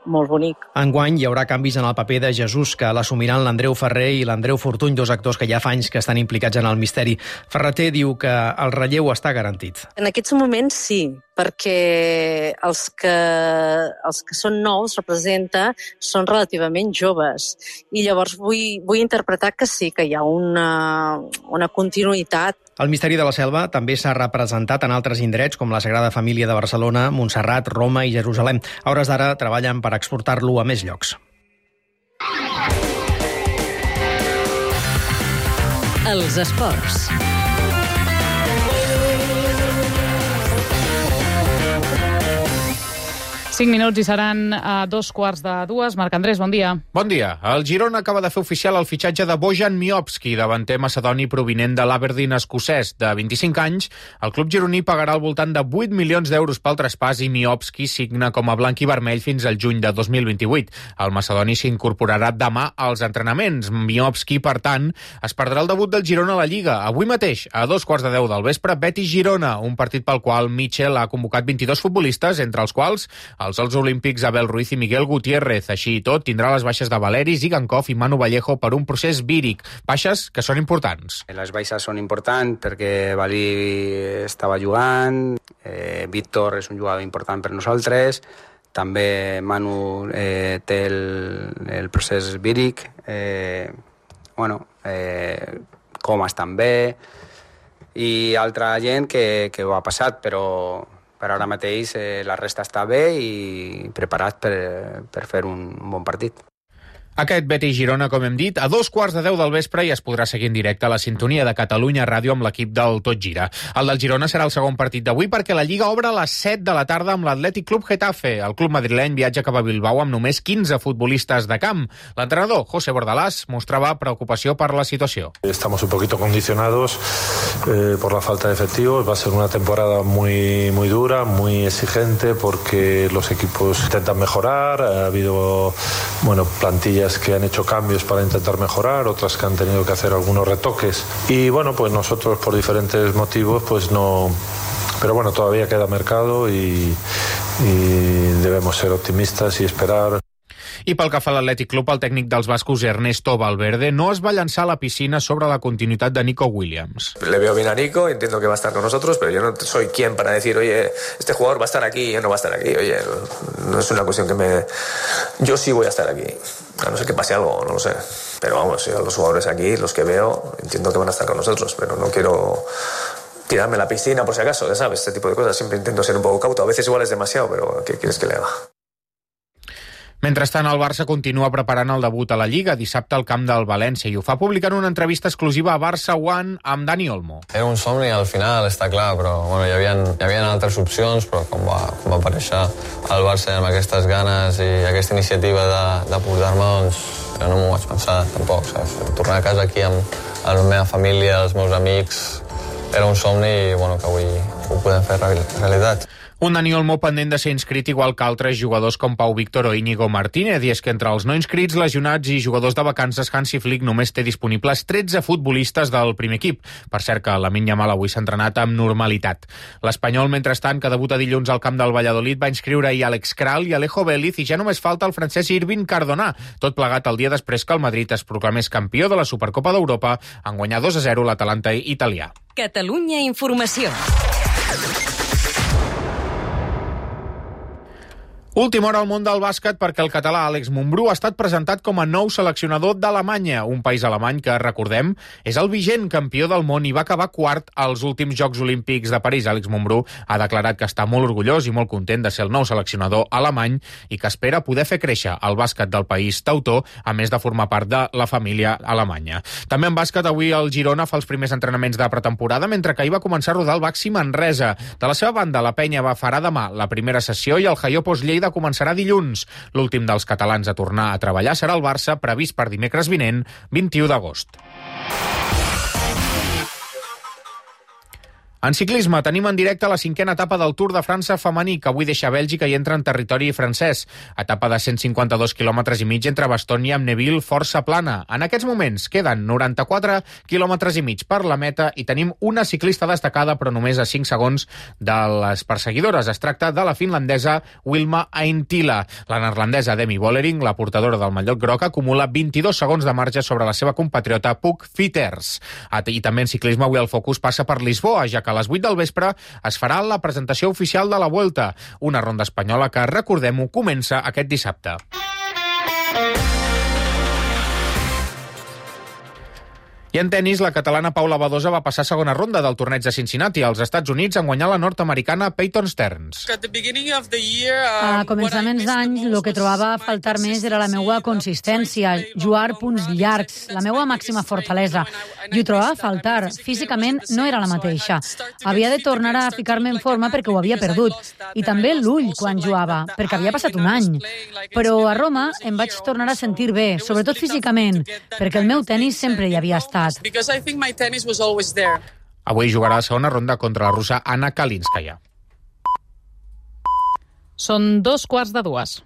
molt bonic. Enguany hi haurà canvis en el paper de Jesús, que l'assumiran l'Andreu Ferrer i l'Andreu Fortuny, 2 actors que ja fa anys que estan implicats en el misteri. Ferreter diu que el relleu està garantit. En aquests moments sí, perquè els que són nous, representa, són relativament joves. I llavors vull interpretar que sí, que hi ha una continuïtat. El misteri de la selva també s'ha representat en altres indrets com la Sagrada Família de Barcelona, Montserrat, Roma i Jerusalem. A hores d'ara treballen per exportar-lo a més llocs. Els esports. Cinc minuts i seran a 2:45. Marc Andrés, bon dia. Bon dia. El Girona acaba de fer oficial el fitxatge de Bojan Miovski, davanter macedoni provinent de l'Aberdeen escocès. De 25 anys, el club gironí pagarà al voltant de 8 milions d'euros pel traspàs i Miovski signa com a blanc i vermell fins al juny de 2028. El macedoni s'incorporarà demà als entrenaments. Miovski, per tant, es perdrà el debut del Girona a la Lliga. Avui mateix, a 2:15 del vespre, Betis-Girona, un partit pel qual Michel ha convocat 22 futbolistes, entre els quals els Jocs Olímpics Abel Ruiz i Miguel Gutiérrez. Així i tot, tindrà les baixes de Valeri, Zigankov i Manu Vallejo per un procés víric. Baixes que són importants. Les baixes són importants perquè Valí estava jugant, Víctor és un jugador important per nosaltres, també Manu té el procés víric, Comas també, i altra gent que ho ha passat, però ara mateix la resta està bé i preparat per fer un bon partit. Aquest Betis-Girona, com hem dit, a 2:15 del vespre i es podrà seguir en directe a la sintonia de Catalunya Ràdio amb l'equip del Tot Gira. El del Girona serà el segon partit d'avui perquè la Lliga obre a les 7 de la tarda amb l'Atlètic Club Getafe. El club madrileny viatja cap a Bilbao amb només 15 futbolistes de camp. L'entrenador, José Bordalás, mostrava preocupació per la situació. Estamos un poquito condicionados por la falta de efectivos. Va a ser una temporada muy dura, muy exigente porque los equipos intentan mejorar. Ha habido plantillas que han hecho cambios para intentar mejorar, otras que han tenido que hacer algunos retoques. Y pues nosotros por diferentes motivos pues no... Pero todavía queda mercado y debemos ser optimistas y esperar. I pel que fa a l'Atlètic Club, el tècnic dels bascos Ernesto Valverde no es va llançar a la piscina sobre la continuïtat de Nico Williams. Le veo bien a Nico, entiendo que va a estar con nosotros, pero yo no soy quien para decir, oye, este jugador va a estar aquí o no va a estar aquí. Oye, no es una cuestión que me... Yo sí voy a estar aquí, a no ser que pase algo, no lo sé. Pero vamos, yo los jugadores aquí, los que veo, entiendo que van a estar con nosotros, pero no quiero tirarme a la piscina por si acaso, ya sabes, este tipo de cosas. Siempre intento ser un poco cauto, a veces igual es demasiado, pero ¿qué quieres que le haga? Mentrestant, el Barça continua preparant el debut a la Lliga dissabte al camp del València i ho fa publicant una entrevista exclusiva a Barça One amb Dani Olmo. Era un somni al final, està clar, però hi havia altres opcions, però com va aparèixer el Barça amb aquestes ganes i aquesta iniciativa de portar-me, doncs jo no m'ho vaig pensar tampoc, saps? Tornar a casa aquí amb la meva família, els meus amics, era un somni i que avui ho podem fer realitat. Un Dani Olmo pendent de ser inscrit igual que altres jugadors com Pau Víctor o Íñigo Martínez, i és que entre els no inscrits, lesionats i jugadors de vacances, Hansi Flick només té disponibles 13 futbolistes del primer equip. Per cert que Lamine Yamal avui s'ha entrenat amb normalitat. L'Espanyol, mentrestant, que debuta dilluns al camp del Valladolid, va inscriure ahir Alex Kral i Alejo Vélez i ja només falta el francès Irving Cardona. Tot plegat el dia després que el Madrid es proclamés campió de la Supercopa d'Europa en guanyar 2-0 l'Atalanta italià. Catalunya Informació. Última hora al món del bàsquet perquè el català Àlex Mumbrú ha estat presentat com a nou seleccionador d'Alemanya, un país alemany que, recordem, és el vigent campió del món i va acabar quart als últims Jocs Olímpics de París. Àlex Mumbrú ha declarat que està molt orgullós i molt content de ser el nou seleccionador alemany i que espera poder fer créixer el bàsquet del país teutó, a més de formar part de la família alemanya. També en bàsquet, avui el Girona fa els primers entrenaments de pretemporada, mentre que ahir va començar a rodar el Baxi Manresa. De la seva banda, la Penya farà demà la primera sessió i el Jaiopos Lleida començarà dilluns. L'últim dels catalans a tornar a treballar serà el Barça, previst per dimecres vinent, 21 d'agost. En ciclisme, tenim en directe la 5a etapa del Tour de França femení, que avui deixa Bèlgica i entra en territori francès. Etapa de 152 quilòmetres i mig entre Bastogne i Amneville, força plana. En aquests moments queden 94 quilòmetres i mig per la meta i tenim una ciclista destacada, però només a 5 segons de les perseguidores. Es tracta de la finlandesa Wilma Ainttila. La neerlandesa Demi Vollering, la portadora del mallot groc, acumula 22 segons de marge sobre la seva compatriota Puk Fitters. I també en ciclisme, avui el focus passa per Lisboa, ja que que a les 8 del vespre es farà la presentació oficial de la Vuelta, una ronda espanyola que, recordem-ho, comença aquest dissabte. I en tenis, la catalana Paula Badosa va passar a segona ronda del torneig de Cincinnati als Estats Units en guanyar la nord-americana Peyton Stearns. A començaments d'any, el que trobava a faltar més era la meva consistència, jugar punts llargs, la meva màxima fortalesa. I ho trobava a faltar. Físicament no era la mateixa. Havia de tornar a ficar-me en forma perquè ho havia perdut. I també l'ull quan jugava, perquè havia passat un any. Però a Roma em vaig tornar a sentir bé, sobretot físicament, perquè el meu tenis sempre hi havia estat. Avui jugarà la segona ronda contra la russa Anna Kalinskaya. Són 2:15.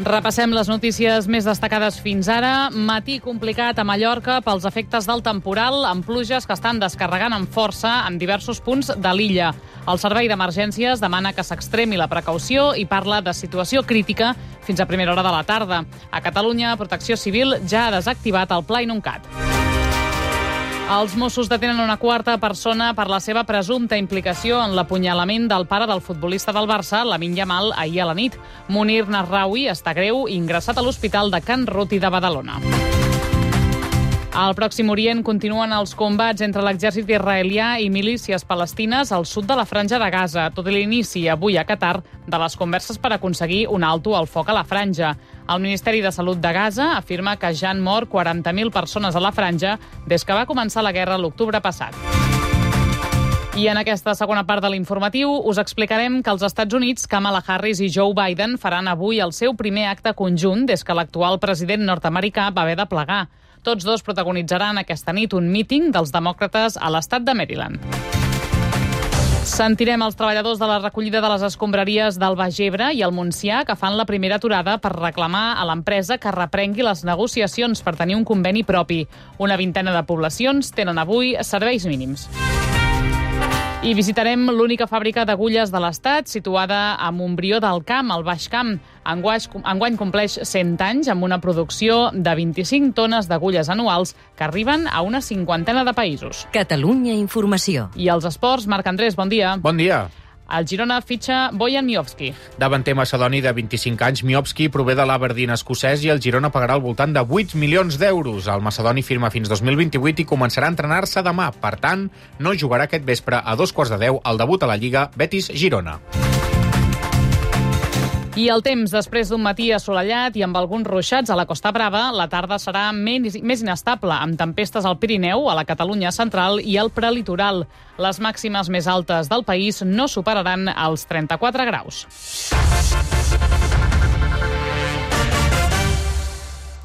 Repassem les notícies més destacades fins ara. Matí complicat a Mallorca pels efectes del temporal, amb pluges que estan descarregant amb força en diversos punts de l'illa. El servei d'emergències demana que s'extremi la precaució i parla de situació crítica fins a primera hora de la tarda. A Catalunya, Protecció Civil ja ha desactivat el Pla Inuncat. Els Mossos detenen una quarta persona per la seva presumpta implicació en l'apunyalament del pare del futbolista del Barça, Lamine Yamal, ahir a la nit. Munir Nasraoui està greu i ingressat a l'Hospital de Can Ruti de Badalona. Al Pròxim Orient continuen els combats entre l'exèrcit israelià i milícies palestines al sud de la Franja de Gaza, tot i l'inici avui a Qatar de les converses per aconseguir un alto al foc a la franja. El Ministeri de Salut de Gaza afirma que ja han mort 40.000 persones a la franja des que va començar la guerra l'octubre passat. I en aquesta segona part de l'informatiu us explicarem que als Estats Units Kamala Harris i Joe Biden faran avui el seu primer acte conjunt des que l'actual president nord-americà va haver de plegar. Tots dos protagonitzaran aquesta nit un míting dels demòcrates a l'estat de Maryland. Sentirem els treballadors de la recollida de les escombraries del Baix Ebre i el Montsià que fan la primera aturada per reclamar a l'empresa que reprengui les negociacions per tenir un conveni propi. Una vintena de poblacions tenen avui serveis mínims. I visitarem l'única fàbrica d'agulles de l'Estat, situada a Montbrió del Camp, al Baix Camp. Enguany compleix 100 anys amb una producció de 25 tones d'agulles anuals que arriben a una cinquantena de països. Catalunya Informació. I els esports, Marc Andrés, bon dia. Bon dia. El Girona fitxa Bojan Miovski. Davanter macedoni de 25 anys, Miovski prové de l'Aberdeen escocès i el Girona pagarà al voltant de 8 milions d'euros. El macedoni firma fins 2028 i començarà a entrenar-se demà. Per tant, no jugarà aquest vespre a 2:15 al debut a la Lliga Betis-Girona. I el temps, després d'un matí assolellat i amb alguns ruixats a la Costa Brava, la tarda serà més inestable, amb tempestes al Pirineu, a la Catalunya central i al prelitoral. Les màximes més altes del país no superaran els 34 graus.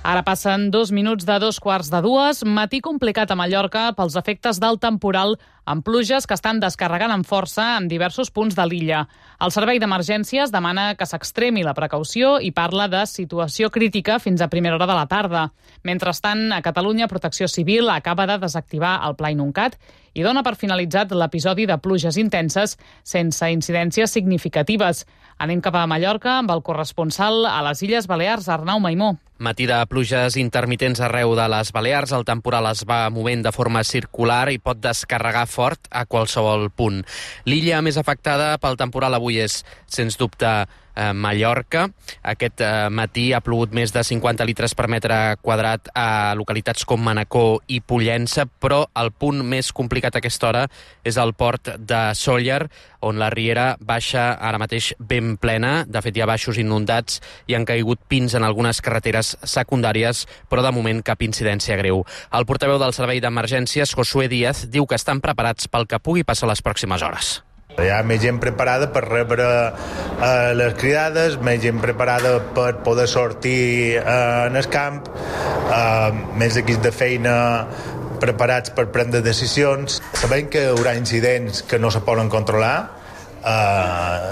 Ara passen 2 minuts de 2:15. Matí complicat a Mallorca pels efectes del temporal amb pluges que estan descarregant amb força en diversos punts de l'illa. El servei d'emergències demana que s'extremi la precaució i parla de situació crítica fins a primera hora de la tarda. Mentrestant, a Catalunya, Protecció Civil acaba de desactivar el Pla Inuncat i dona per finalitzat l'episodi de pluges intenses sense incidències significatives. Anem cap a Mallorca amb el corresponsal a les Illes Balears, Arnau Maimó. Matí de pluges intermitents arreu de les Balears. El temporal es va movent de forma circular i pot descarregar fort a qualsevol punt. L'illa més afectada pel temporal avui és, sens dubte, Mallorca. Aquest matí ha plogut més de 50 litres per metre quadrat a localitats com Manacor i Pollença, però el punt més complicat a aquesta hora és el port de Sóller, on la riera baixa ara mateix ben plena. De fet, hi ha baixos inundats i han caigut pins en algunes carreteres secundàries, però de moment cap incidència greu. El portaveu del Servei d'Emergències, Josué Díaz, diu que estan preparats pel que pugui passar les pròximes hores. Hi ha més gent preparada per rebre les cridades, més gent preparada per poder sortir en el camp, més equips de feina preparats per prendre decisions. Sabem que hi haurà incidents que no se poden controlar,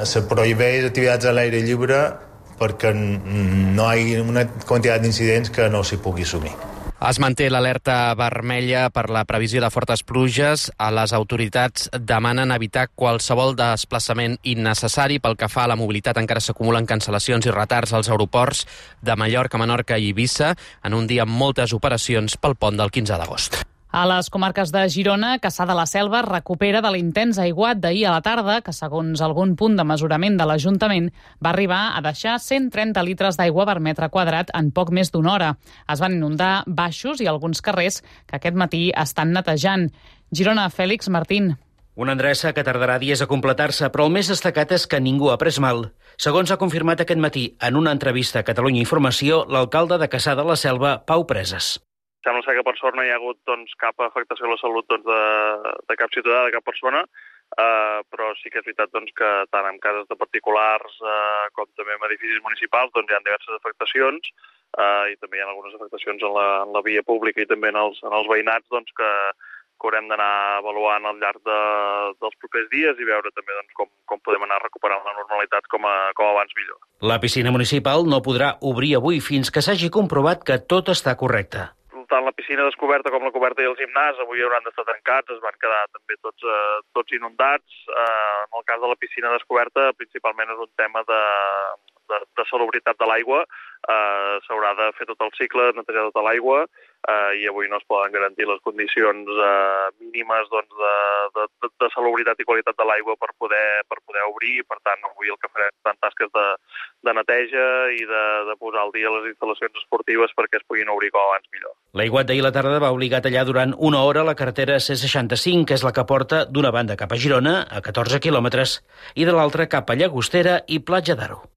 se prohibeix activitats a l'aire lliure perquè no hi ha una quantitat d'incidents que no s'hi pugui assumir. Es manté l'alerta vermella per la previsió de fortes pluges. Les autoritats demanen evitar qualsevol desplaçament innecessari. Pel que fa a la mobilitat, encara s'acumulen cancel·lacions i retards als aeroports de Mallorca, Menorca i Eivissa, en un dia amb moltes operacions pel pont del 15 d'agost. A les comarques de Girona, Cassà de la Selva recupera de l'intens aiguat d'ahir a la tarda, que segons algun punt de mesurament de l'Ajuntament va arribar a deixar 130 litres d'aigua per metre quadrat en poc més d'una hora. Es van inundar baixos i alguns carrers que aquest matí estan netejant. Girona, Fèlix Martín. Una endreça que tardarà dies a completar-se, però el més destacat és que ningú ha pres mal. Segons ha confirmat aquest matí en una entrevista a Catalunya Informació, l'alcalde de Cassà de la Selva, Pau Preses. Sembla ser que per sort no hi ha hagut cap afectació a la salut de cap ciutadà, de cap persona, però sí que és veritat que tant en cases de particulars com també en edificis municipals hi ha diverses afectacions i també hi ha algunes afectacions en la via pública i també en els veïnats que haurem d'anar avaluant al llarg dels propers dies i veure també com podem anar recuperant la normalitat com abans millor. La piscina municipal no podrà obrir avui fins que s'hagi comprovat que tot està correcte. Tant la piscina descoberta com la coberta i el gimnàs avui hauran d'estar tancats, es van quedar també tots inundats. En el cas de la piscina descoberta, principalment és un tema de salubritat de l'aigua. S'haurà de fer tot el cicle, netejar tota l'aigua, i avui no es poden garantir les condicions mínimes de salubritat i qualitat de l'aigua per poder obrir. Per tant, avui el que farem són tasques de neteja i de posar al dia les instal·lacions esportives perquè es puguin obrir com abans millor. L'aiguat d'ahir a la tarda va obligar a tallar durant una hora la carretera C65, que és la que porta d'una banda cap a Girona, a 14 quilòmetres, i de l'altra cap a Llagostera i Platja d'Aro.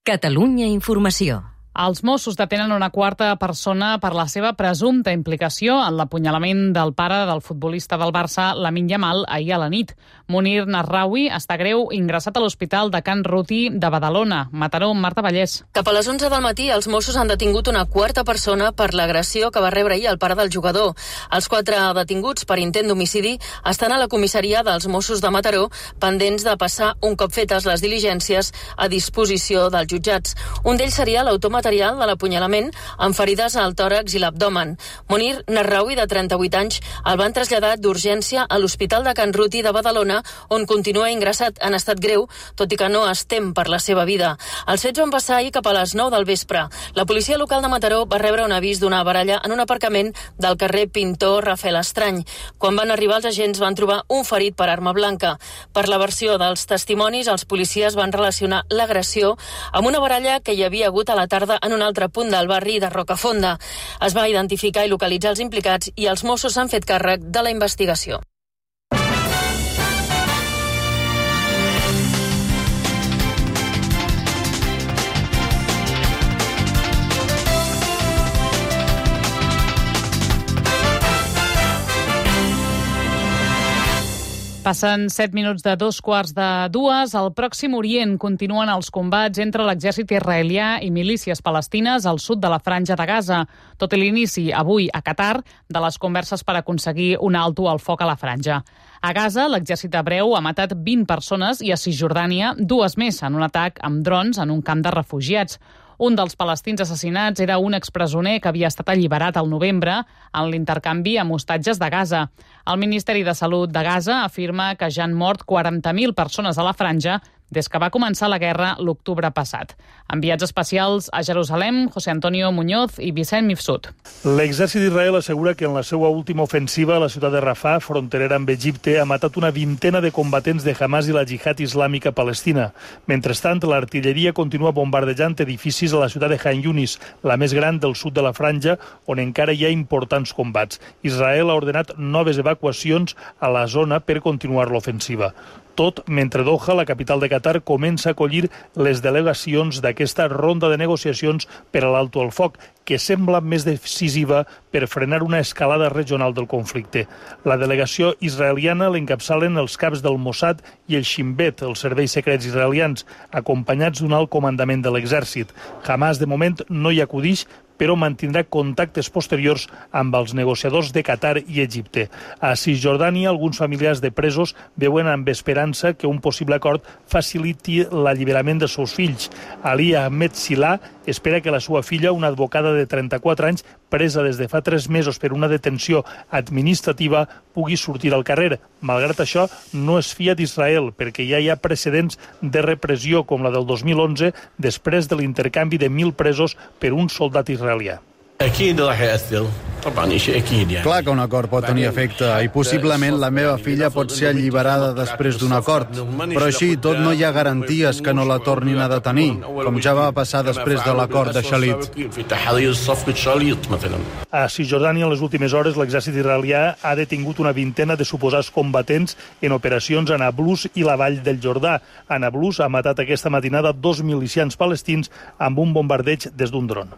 Catalunya Informació. Els Mossos detenen una quarta persona per la seva presumpta implicació en l'apunyalament del pare del futbolista del Barça, Lamine Yamal, ahir a la nit. Munir Nasraoui està greu, ingressat a l'Hospital de Can Ruti de Badalona. Mataró, Marta Vallès. Cap a les 11 del matí, els Mossos han detingut una quarta persona per l'agressió que va rebre ahir el pare del jugador. Els 4 detinguts per intent d'homicidi estan a la comissaria dels Mossos de Mataró, pendents de passar, un cop fetes les diligències, a disposició dels jutjats. Un d'ells seria l'autor material de l'apunyalament amb ferides al tòrax i l'abdomen. Munir Nasraoui, de 38 anys, el van traslladar d'urgència a l'Hospital de Can Ruti de Badalona, on continua ingressat en estat greu, tot i que no es tem per la seva vida. Els fets van passar ahir cap a les 9 del vespre. La policia local de Mataró va rebre un avís d'una baralla en un aparcament del carrer Pintor Rafael Estrany. Quan van arribar, els agents van trobar un ferit per arma blanca. Per la versió dels testimonis, els policies van relacionar l'agressió amb una baralla que hi havia hagut a la tarda en un altre punt del barri de Rocafonda. Es va identificar i localitzar els implicats i els Mossos s'han fet càrrec de la investigació. Passen 7 minuts de 2:45. Al Pròxim Orient continuen els combats entre l'exèrcit israelià i milícies palestines al sud de la Franja de Gaza, tot i l'inici avui a Qatar de les converses per aconseguir un alto al foc a la franja. A Gaza, l'exèrcit hebreu ha matat 20 persones i a Cisjordània 2 més en un atac amb drons en un camp de refugiats. Un dels palestins assassinats era un expresoner que havia estat alliberat al novembre en l'intercanvi amb hostatges de Gaza. El Ministeri de Salut de Gaza afirma que ja han mort 40.000 persones a la franja des que va començar la guerra l'octubre passat. Enviats especials a Jerusalem, José Antonio Muñoz i Vicent Mifsud. L'exèrcit d'Israel assegura que en la seva última ofensiva a la ciutat de Rafah, fronterera amb Egipte, ha matat una vintena de combatents de Hamas i la Jihad Islàmica Palestina. Mentrestant, l'artilleria continua bombardejant edificis a la ciutat de Khan Yunis, la més gran del sud de la franja, on encara hi ha importants combats. Israel ha ordenat noves evacuacions a la zona per continuar l'ofensiva. Tot mentre Doha, la capital de Qatar, comença a acollir les delegacions d'aquesta ronda de negociacions per a l'alto al foc, que sembla més decisiva per frenar una escalada regional del conflicte. La delegació israeliana l'encapçalen els caps del Mossad i el Shin Bet, els serveis secrets israelians, acompanyats d'un alt comandament de l'exèrcit. Hamas, de moment, no hi acudix, però mantindrà contactes posteriors amb els negociadors de Qatar i Egipte. A Cisjordània, alguns familiars de presos veuen amb esperança que un possible acord faciliti l'alliberament dels seus fills. Ali Ahmed Sillah espera que la seva filla, una advocada de 34 anys, presa des de fa 3 mesos per una detenció administrativa, pugui sortir al carrer. Malgrat això, no es fia d'Israel, perquè ja hi ha precedents de repressió, com la del 2011, després de l'intercanvi de 1.000 presos per un soldat israelià. Clar que un acord pot tenir efecte i possiblement la meva filla pot ser alliberada després d'un acord, però així tot no hi ha garanties que no la tornin a detenir, com ja va passar després de l'acord de Shalit. A Cisjordània, en les últimes hores, l'exèrcit israelià ha detingut una vintena de suposats combatents en operacions a Nablus i la vall del Jordà. A Nablus ha matat aquesta matinada 2 milicians palestins amb un bombardeig des d'un dron.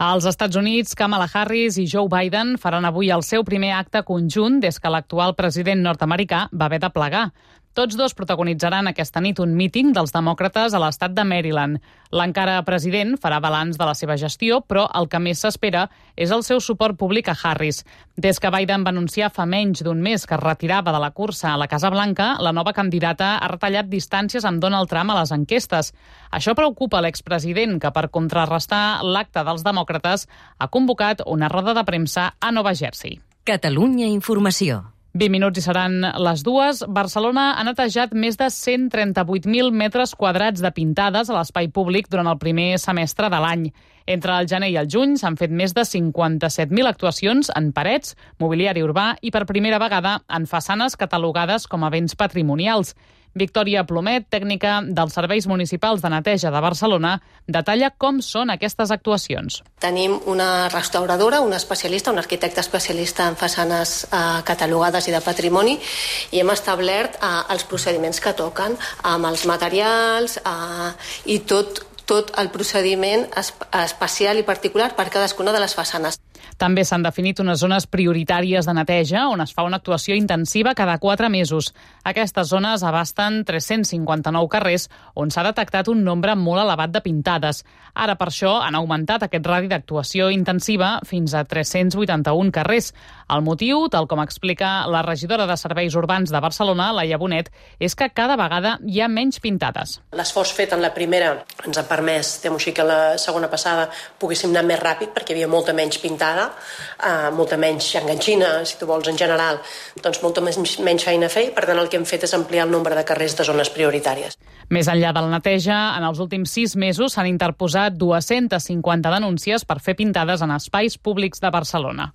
Als Estats Units, Kamala Harris i Joe Biden faran avui el seu primer acte conjunt des que l'actual president nord-americà va haver de plegar. Tots dos protagonitzaran aquesta nit un míting dels demòcrates a l'estat de Maryland. L'encara president farà balanç de la seva gestió, però el que més s'espera és el seu suport públic a Harris. Des que Biden va anunciar fa menys d'un mes que es retirava de la cursa a la Casa Blanca, la nova candidata ha retallat distàncies amb Donald Trump a les enquestes. Això preocupa l'expresident, que per contrarrestar l'acte dels demòcrates ha convocat una roda de premsa a Nova Jersey. Catalunya Informació. 20 minuts i seran les 2. Barcelona ha netejat més de 138.000 metres quadrats de pintades a l'espai públic durant el primer semestre de l'any. Entre el gener i el juny s'han fet més de 57.000 actuacions en parets, mobiliari urbà i per primera vegada en façanes catalogades com a béns patrimonials. Victòria Plomet, tècnica dels Serveis Municipals de Neteja de Barcelona, detalla com són aquestes actuacions. Tenim una restauradora, una especialista, un arquitecte especialista en façanes catalogades i de patrimoni, i hem establert els procediments que toquen amb els materials i tot el procediment especial i particular per cadascuna de les façanes. També s'han definit unes zones prioritàries de neteja on es fa una actuació intensiva cada 4 mesos. Aquestes zones abasten 359 carrers on s'ha detectat un nombre molt elevat de pintades. Ara, per això, han augmentat aquest radi d'actuació intensiva fins a 381 carrers. El motiu, tal com explica la regidora de Serveis Urbans de Barcelona, Laia Bonet, és que cada vegada hi ha menys pintades. L'esforç fet en la primera ens ha permès, diguem-ho així, que la segona passada poguéssim anar més ràpid perquè hi havia molta menys pintada, molta menys enganxina, si tu vols, en general, doncs molta menys feina a fer, i per tant el que hem fet és ampliar el nombre de carrers de zones prioritàries. Més enllà de la neteja, en els últims 6 mesos s'han interposat 250 denúncies per fer pintades en espais públics de Barcelona.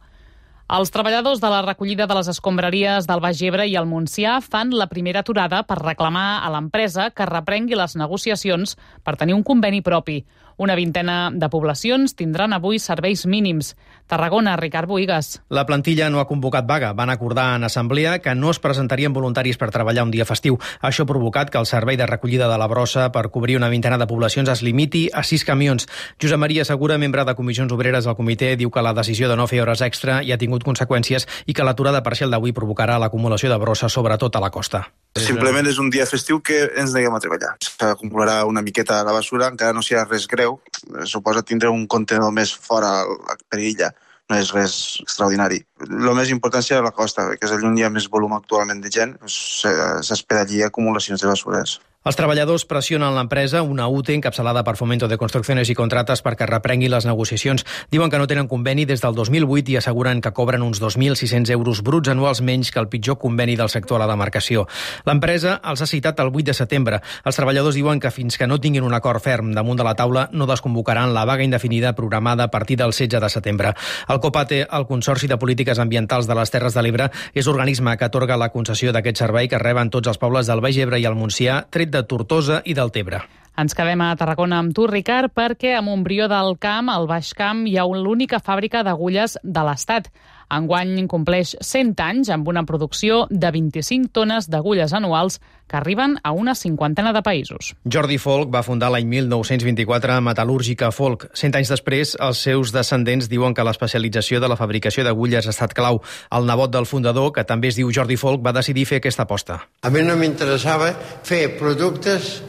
Els treballadors de la recollida de les escombraries del Baix Ebre i el Montsià fan la primera aturada per reclamar a l'empresa que reprengui les negociacions per tenir un conveni propi. Una vintena de poblacions tindran avui serveis mínims. Tarragona, Ricard Bohigas. La plantilla no ha convocat vaga. Van acordar en assemblea que no es presentarien voluntaris per treballar un dia festiu. Això ha provocat que el servei de recollida de la brossa per cobrir una vintena de poblacions es limiti a 6 camions. Josep Maria Segura, membre de Comissions Obreres del comitè, diu que la decisió de no fer hores extra hi ha tingut conseqüències i que l'aturada parcial d'avui provocarà l'acumulació de brossa, sobretot a la costa. Simplement és un dia festiu que ens neguem a treballar. S'acumularà una miqueta a la basura, encara no serà res greu. Suposa tindre un contenidor més fora per illa. No és res extraordinari. El més important serà la costa, que és on hi ha més volum actualment de gent. S'espera allí acumulacions de basures. Els treballadors pressionen l'empresa, una UTE encapçalada per Fomento de Construcciones i Contrates, perquè reprengui les negociacions. Diuen que no tenen conveni des del 2008 i asseguren que cobren uns 2.600 euros bruts anuals menys que el pitjor conveni del sector a la demarcació. L'empresa els ha citat el 8 de setembre. Els treballadors diuen que fins que no tinguin un acord ferm damunt de la taula no desconvocaran la vaga indefinida programada a partir del 16 de setembre. El COPATE, el Consorci de Polítiques Ambientals de les Terres de l'Ebre, és l'organisme que atorga la concessió d'aquest servei que reben tots els pobles del Baix Ebre i el Montsià, tret de Tortosa i del Tebre. Ens quedem a Tarragona amb tu, Ricard, perquè a Montbrió del Camp, al Baix Camp, hi ha l'única fàbrica d'agulles de l'Estat. Enguany compleix 100 anys amb una producció de 25 tones d'agulles anuals que arriben a una 50 de països. Jordi Folch va fundar l'any 1924 Metal·lúrgica Folch. 100 anys després, els seus descendents diuen que l'especialització de la fabricació d'agulles ha estat clau. El nebot del fundador, que també es diu Jordi Folch, va decidir fer aquesta aposta. A mi no m'interessava fer productes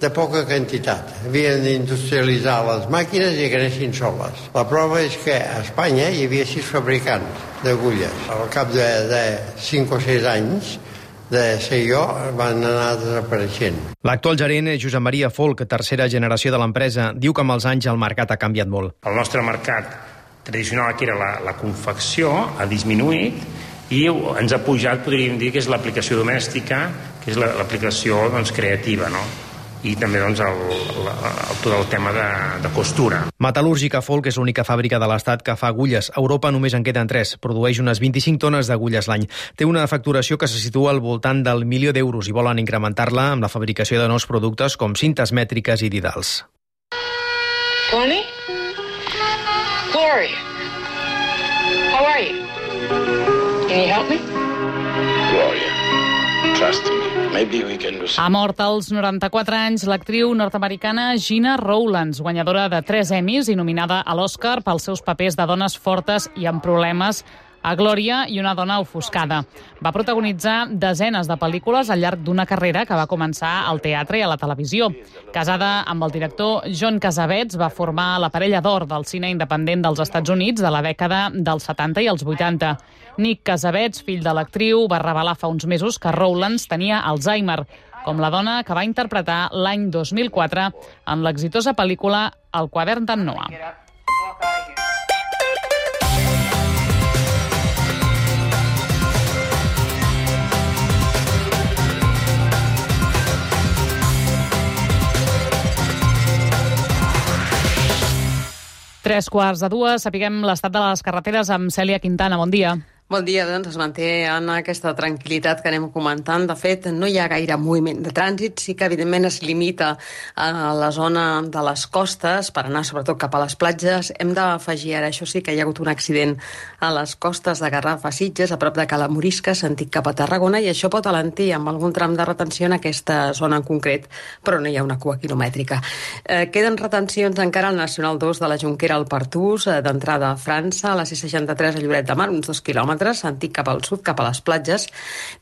de poca quantitat. Havien d'industrialitzar les màquines i que anessin soles. La prova és que a Espanya hi havia 6 fabricants d'agulles. Al cap de 5 o 6 anys de ser jo van anar desapareixent. L'actual gerent, Josep Maria Folch, tercera generació de l'empresa, diu que amb els anys el mercat ha canviat molt. El nostre mercat tradicional, que era la confecció, ha disminuït i ens ha pujat, podríem dir, que és l'aplicació domèstica, que és l'aplicació creativa, no? I també tot el tema de costura. Metal·lúrgica Folch és l'única fàbrica de l'Estat que fa agulles. A Europa només en queden 3. Produeix unes 25 tones d'agulles l'any. Té una facturació que se situa al voltant del $1.000.000 i volen incrementar-la amb la fabricació de nous productes com cintes mètriques i didals. Tony? Gloria? How are you? Can you help me? Gloria, trust me. Ha mort als 94 anys l'actriu nord-americana Gina Rowlands, guanyadora de 3 Emmys i nominada a l'Oscar pels seus papers de dones fortes i amb problemes a Glòria i una dona ofuscada. Va protagonitzar desenes de pel·lícules al llarg d'una carrera que va començar al teatre i a la televisió. Casada amb el director John Cassavetes, va formar la parella d'or del cine independent dels Estats Units de la dècada dels 70 i els 80. Nick Cassavetes, fill de l'actriu, va revelar fa uns mesos que Rowlands tenia Alzheimer, com la dona que va interpretar l'any 2004 en l'exitosa pel·lícula El quadern d'en Noah. Tres quarts de dues, sapiguem l'estat de les carreteres amb Cèlia Quintana. Bon dia. Bon dia, doncs es manté en aquesta tranquil·litat que anem comentant. De fet, no hi ha gaire moviment de trànsit, sí que evidentment es limita a la zona de les costes per anar sobretot cap a les platges. Hem d'afegir ara, això sí, que hi ha hagut un accident a les costes de Garraf a Sitges, a prop de Cala Morisca, sentit cap a Tarragona, i això pot alentir amb algun tram de retenció en aquesta zona en concret, però no hi ha una cua quilomètrica. Queden retencions encara al Nacional 2 de la Jonquera al Pertús, d'entrada a França, a la C63 a Lloret de Mar, uns 2 quilòmetres, sentit cap al sud, cap a les platges,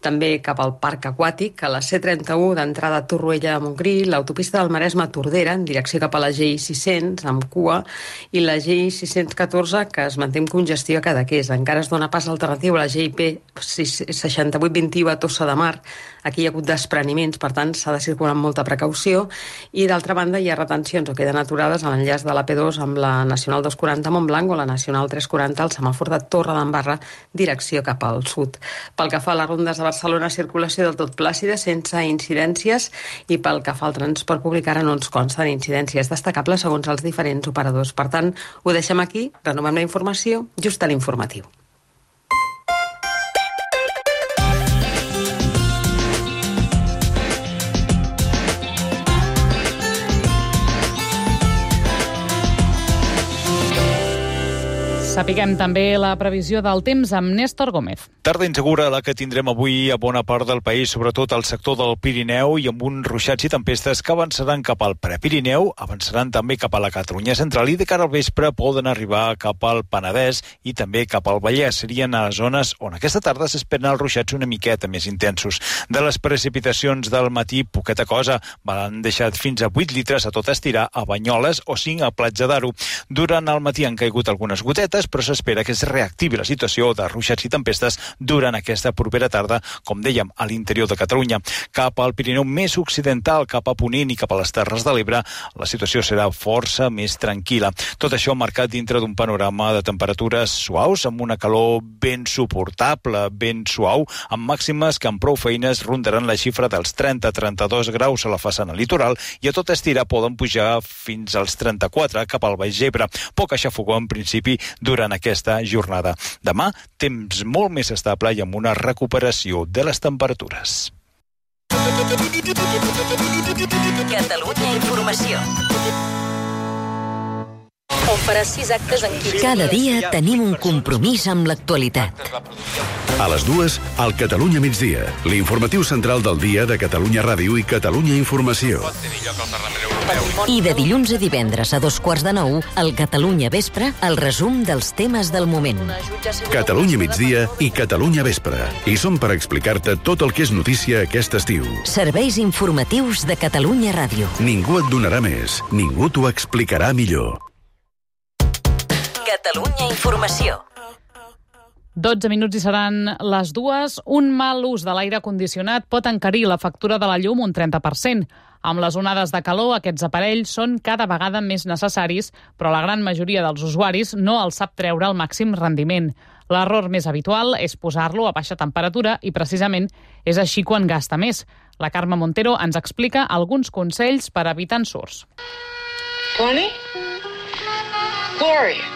també cap al parc aquàtic, a la C31 d'entrada a Torroella de Montgrí, l'autopista del Maresme a Tordera, en direcció cap a la GI 600, amb cua, i la GI 614, que es manté amb congestió a Cadaqués. Encara es dona pas alternatiu a la GIP 6821 a Tossa de Mar. Aquí hi ha hagut despreniments, per tant, s'ha de circular amb molta precaució, i d'altra banda hi ha retencions o queden aturades a l'enllaç de la P2 amb la Nacional 240 a Montblanc o la Nacional 340 al semàfor de Torredembarra, direcció cap al sud. Pel que fa a les rondes de Barcelona, circulació del tot plàcida, sense incidències, i pel que fa al transport públic ara no ens consten incidències destacables segons els diferents operadors. Per tant, ho deixem aquí, renovem la informació just a l'informatiu. Sapiguem també la previsió del temps amb Néstor Gómez. Tarda insegura la que tindrem avui a bona part del país, sobretot al sector del Pirineu, i amb uns ruixats i tempestes que avançaran cap al Prepirineu, avançaran també cap a la Catalunya central i de cara al vespre poden arribar cap al Penedès i també cap al Vallès. Serien a zones on aquesta tarda s'esperen els ruixats una miqueta més intensos. De les precipitacions del matí, poqueta cosa. Van deixat fins a 8 litres a tot estirar a Banyoles o 5 a Platja d'Aro. Durant el matí han caigut algunes gotetes, però s'espera que es reactivi la situació de ruixats i tempestes durant aquesta propera tarda, com dèiem, a l'interior de Catalunya. Cap al Pirineu més occidental, cap a Ponent i cap a les Terres de l'Ebre, la situació serà força més tranquil·la. Tot això marcat dintre d'un panorama de temperatures suaus, amb una calor ben suportable, ben suau, amb màximes que amb prou feines rondaran la xifra dels 30-32 graus a la façana litoral i a tot estirar poden pujar fins als 34 cap al Baix Ebre. Poc aixafogó en principi durant aquesta jornada. Demà, temps molt més estable i amb una recuperació de les temperatures. Catalunya Informació. On farà 6 actes en 15 Cada dia tenim un compromís amb l'actualitat. A les 2, al Catalunya Migdia, l'informatiu central del dia de Catalunya Ràdio i Catalunya Informació. I de dilluns a divendres a 8:45, al Catalunya Vespre, el resum dels temes del moment. Catalunya Migdia i Catalunya Vespre. I som per explicar-te tot el que és notícia aquest estiu. Serveis informatius de Catalunya Ràdio. Ningú et donarà més, ningú t'ho explicarà millor. Catalunya Informació. 12 minuts i seran les 2. Un mal ús de l'aire condicionat pot encarir la factura de la llum un 30%. Amb les onades de calor, aquests aparells són cada vegada més necessaris, però la gran majoria dels usuaris no els sap treure al màxim rendiment. L'error més habitual és posar-lo a baixa temperatura i precisament és així quan gasta més. La Carme Montero ens explica alguns consells per evitar ensurts. Tony? Gloria?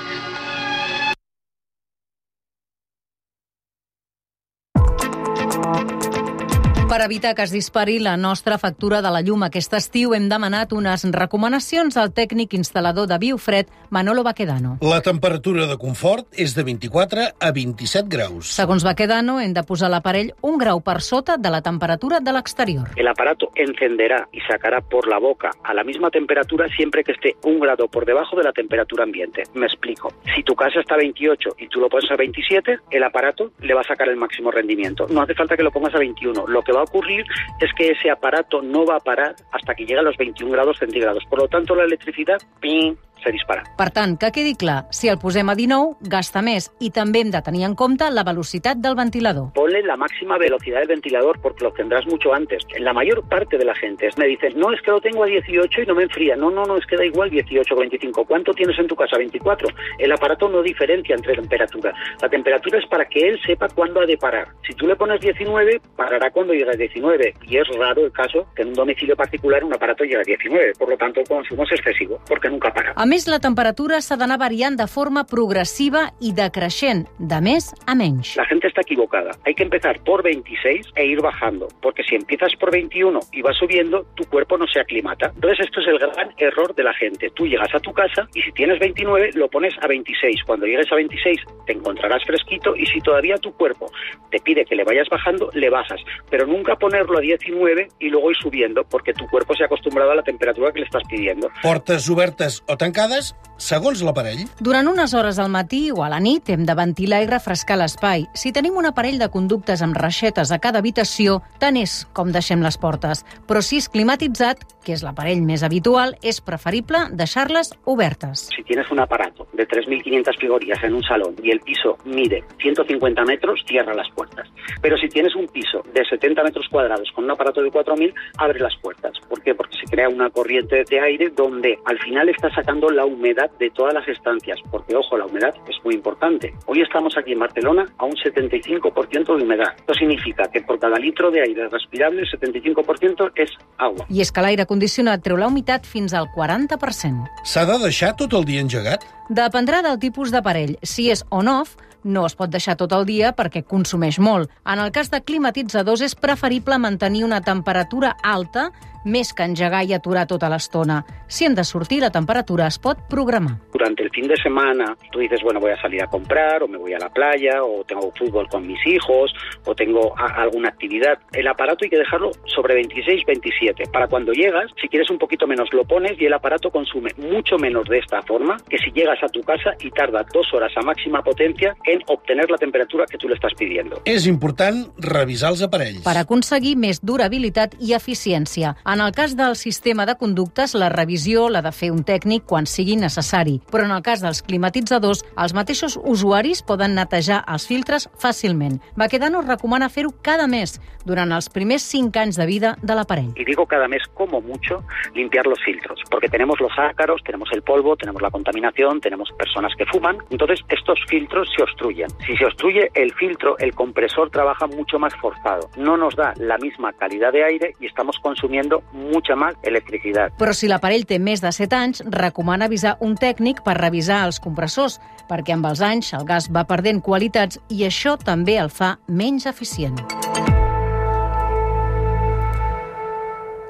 Per evitar que es dispari la nostra factura de la llum aquest estiu, hem demanat unes recomanacions al tècnic instal·lador de Biofred, Manolo Baquedano. La temperatura de confort és de 24 a 27 graus. Segons Baquedano, hem de posar l'aparell 1 grau per sota de la temperatura de l'exterior. El aparato encenderá y sacará por la boca a la misma temperatura siempre que esté 1 grado por debajo de la temperatura ambiente. Me explico. Si tu casa está a 28 y tú lo pones a 27, el aparato le va a sacar el máximo rendimiento. No hace falta que lo pongas a 21. Lo que va a ocurrir es que ese aparato no va a parar hasta que llegue a los 21 grados centígrados. Por lo tanto, la electricidad, ¡ping!, se dispara. Per tant, que quedi clar, si el posem a 19, gasta més i també hem de tenir en compte la velocitat del ventilador. Ponle la máxima velocidad del ventilador porque lo tendrás mucho antes. La mayor parte de la gente me dice, no, es que lo tengo a 18 y no me enfría. No, es que da igual 18 o 25. ¿Cuánto tienes en tu casa? 24. El aparato no diferencia entre temperatura. La temperatura es para que él sepa cuándo ha de parar. Si tú le pones 19, parará cuando llegue a 19. Y es raro el caso que en un domicilio particular un aparato llegue a 19. Por lo tanto, el consumo es excesivo porque nunca para. A més, la temperatura s'ha d'anar variant de forma progressiva i decreixent, de més a menys. La gente está equivocada. Hay que empezar por 26 e ir bajando, porque si empiezas por 21 y vas subiendo, tu cuerpo no se aclimata. Entonces esto es el gran error de la gente. Tú llegas a tu casa y si tienes 29, lo pones a 26. Cuando llegues a 26, te encontrarás fresquito y si todavía tu cuerpo te pide que le vayas bajando, le bajas. Pero nunca ponerlo a 19 y luego ir subiendo, porque tu cuerpo se ha acostumbrado a la temperatura que le estás pidiendo. Portes obertes o tancades, segons l'aparell. Durant unes hores al matí o a la nit hem de ventilar i refrescar l'espai. Si tenim un aparell de conductes amb reixetes a cada habitació, tant és com deixem les portes. Però si és climatitzat, que és l'aparell més habitual, és preferible deixar-les obertes. Si tienes un aparato de 3.500 frigorías en un salón y el piso mide 150 metros, cierra las puertas. Pero si tienes un piso de 70 metros cuadrados con un aparato de 4.000, abre las puertas. ¿Por qué? Porque se crea una corriente de aire donde al final está sacando la humedad de todas las estancias, porque, ojo, la humedad es muy importante. Hoy estamos aquí en Barcelona a un 75% de humedad. Esto significa que por cada litro de aire respirable, el 75% és agua. I és que l'aire condicionat treu la humitat fins al 40%. S'ha de deixar tot el dia engegat? Dependrà del tipus d'aparell. Si és on-off, no es pot deixar tot el dia perquè consumeix molt. En el cas de climatitzadors és preferible mantenir una temperatura alta més que engegar i aturar tota l'estona. Si hem de sortir, la temperatura es pot programar. Durante el fin de semana, tú dices, bueno, voy a salir a comprar, o me voy a la playa, o tengo fútbol con mis hijos, o tengo alguna actividad. El aparato hay que dejarlo sobre 26, 27. Para cuando llegas, si quieres un poquito menos, lo pones y el aparato consume mucho menos de esta forma que si llegas a tu casa y tarda 2 horas a máxima potencia en obtener la temperatura que tú le estás pidiendo. És important revisar els aparells. Per aconseguir més durabilitat i eficiència. En el cas del sistema de conductes, la revisió l'ha de fer un tècnic quan sigui necessari. Però en el cas dels climatitzadors, els mateixos usuaris poden netejar els filtres fàcilment. Baquedano recomana fer-ho cada mes, durant els primers 5 anys de vida de l'aparell. Y digo cada mes, como mucho, limpiar los filtros, porque tenemos los ácaros, tenemos el polvo, tenemos la contaminación, tenemos personas que fuman. Entonces, estos filtros se obstruyen. Si se obstruye el filtro, el compresor trabaja mucho más forzado. No nos da la misma calidad de aire y estamos consumiendo mucha más electricidad. Però si l'aparell té més de 7 anys, recomana avisar un tècnic per revisar els compressors, perquè amb els anys el gas va perdent qualitats i això també el fa menys eficient.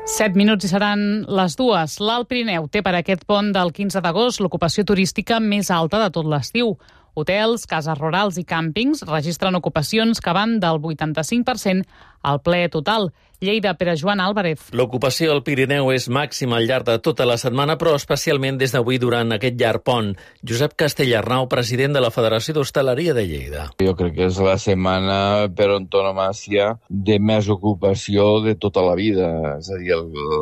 7 minuts i seran les 2. L'Alt Pirineu té per aquest pont del 15 d'agost l'ocupació turística més alta de tot l'estiu. Hotels, cases rurals i càmpings registren ocupacions que van del 85% al ple total. Lleida, Pere Joan Álvarez. L'ocupació al Pirineu és màxima al llarg de tota la setmana, però especialment des d'avui durant aquest llarg pont. Josep Castellarnau, president de la Federació d'Hostaleria de Lleida. Jo crec que és la setmana per antonomàsia de més ocupació de tota la vida. És a dir,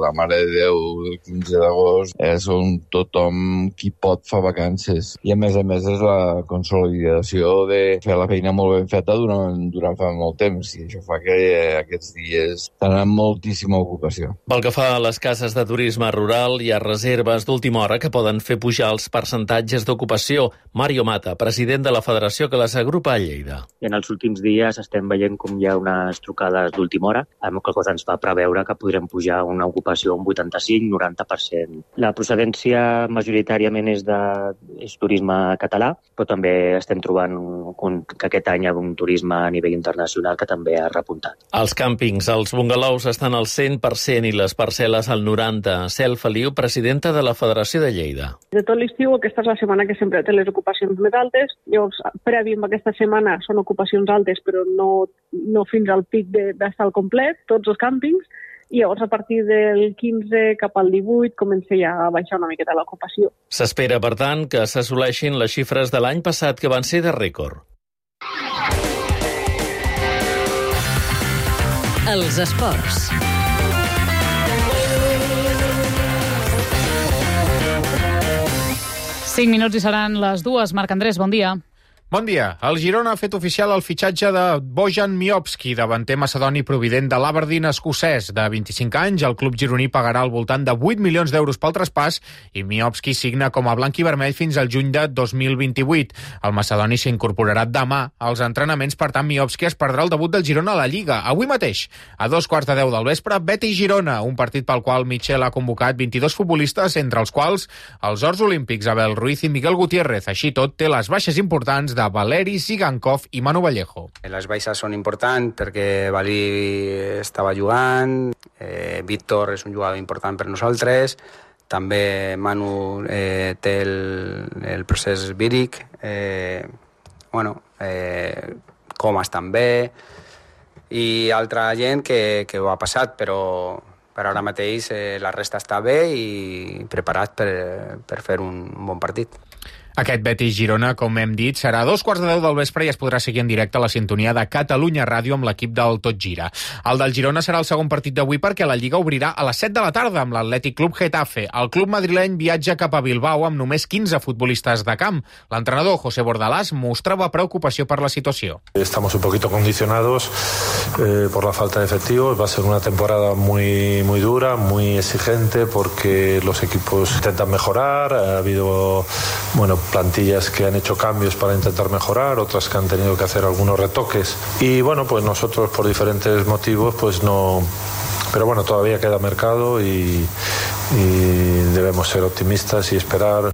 la Mare de Déu del 15 d'agost és on tothom qui pot fa vacances. I a més és la consolidació de fer la feina molt ben feta durant fa molt temps, i això fa que aquests dies tenen moltíssima ocupació. Pel que fa a les cases de turisme rural, hi ha reserves d'última hora que poden fer pujar els percentatges d'ocupació. Mario Mata, president de la federació que les agrupa a Lleida. En els últims dies estem veient com hi ha unes trucades d'última hora, amb la cosa ens fa preveure que podrem pujar una ocupació un 85-90%. La procedència majoritàriament és turisme català, però també estem trobant que aquest any hi ha un turisme a nivell internacional que també ha repuntat. Els càmpings, els bungalows estan al 100% i les parcel·les al 90%. Cel Feliu, presidenta de la Federació de Lleida. De tot l'estiu, aquesta és la setmana que sempre té les ocupacions més altes. Llavors, previ a aquesta setmana són ocupacions altes, però no fins al pic d'estar al complet, tots els càmpings. I llavors, a partir del 15 cap al 18, comença ja a baixar una miqueta l'ocupació. S'espera, per tant, que s'assoleixin les xifres de l'any passat, que van ser de rècord. Els esports. Cinc minuts i seran les 2. Marc Andrés, bon dia. Bon dia. El Girona ha fet oficial el fitxatge de Bojan Miovski, davanter macedoni provident de l'Aberdeen escocès. De 25 anys, el club gironí pagarà al voltant de 8 milions d'euros pel traspàs i Miovski signa com a blanc i vermell fins al juny de 2028. El macedoni s'incorporarà demà als entrenaments, per tant Miovski es perdrà el debut del Girona a la Lliga. Avui mateix, a 2:15 del vespre, Betis-Girona, un partit pel qual Michel ha convocat 22 futbolistes, entre els quals els ors olímpics Abel Ruiz i Miguel Gutiérrez. Així tot, té les baixes importants de Valeri, Sigankov i Manu Vallejo. Les baixes són importants perquè Valí estava jugant, Víctor és un jugador important per nosaltres, també Manu té el procés víric, Comas també, i altra gent que ho ha passat, però ara mateix la resta està bé i preparat per fer un bon partit. Aquest Betis-Girona, com hem dit, serà a 2:15 del vespre i es podrà seguir en directe a la sintonia de Catalunya Ràdio amb l'equip del Tot Gira. El del Girona serà el segon partit d'avui perquè la Lliga obrirà a les 7 de la tarda amb l'Atlètic Club Getafe. El club madrileny viatja cap a Bilbao amb només 15 futbolistes de camp. L'entrenador José Bordalás mostrava preocupació per la situació. Estamos un poquito condicionados por la falta de efectivos. Va a ser una temporada muy dura, muy exigente porque los equipos intentan mejorar. Ha habido, plantillas que han hecho cambios para intentar mejorar, otras que han tenido que hacer algunos retoques. Y pues nosotros por diferentes motivos no. Pero todavía queda mercado y debemos ser optimistas y esperar.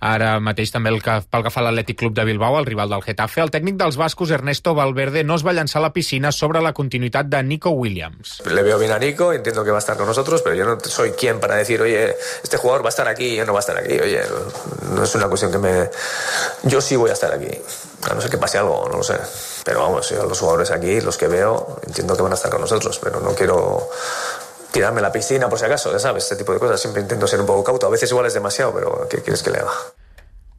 Ara mateix també pel que fa a l'Atlètic Club de Bilbao, el rival del Getafe, el tècnic dels bascos Ernesto Valverde no es va llançar a la piscina sobre la continuïtat de Nico Williams. Le veo bien a Nico, entiendo que va a estar con nosotros, pero yo no soy quien para decir, oye, este jugador va a estar aquí y no va a estar aquí. Oye, no es una cuestión que yo sí voy a estar aquí. A no ser que pase algo, no lo sé. Pero vamos, yo los jugadores aquí, los que veo, entiendo que van a estar con nosotros, pero no quiero tirarme a la piscina por si acaso, ya sabes, este tipo de cosas. Siempre intento ser un poco cauto. A veces igual es demasiado, pero ¿qué quieres que le haga?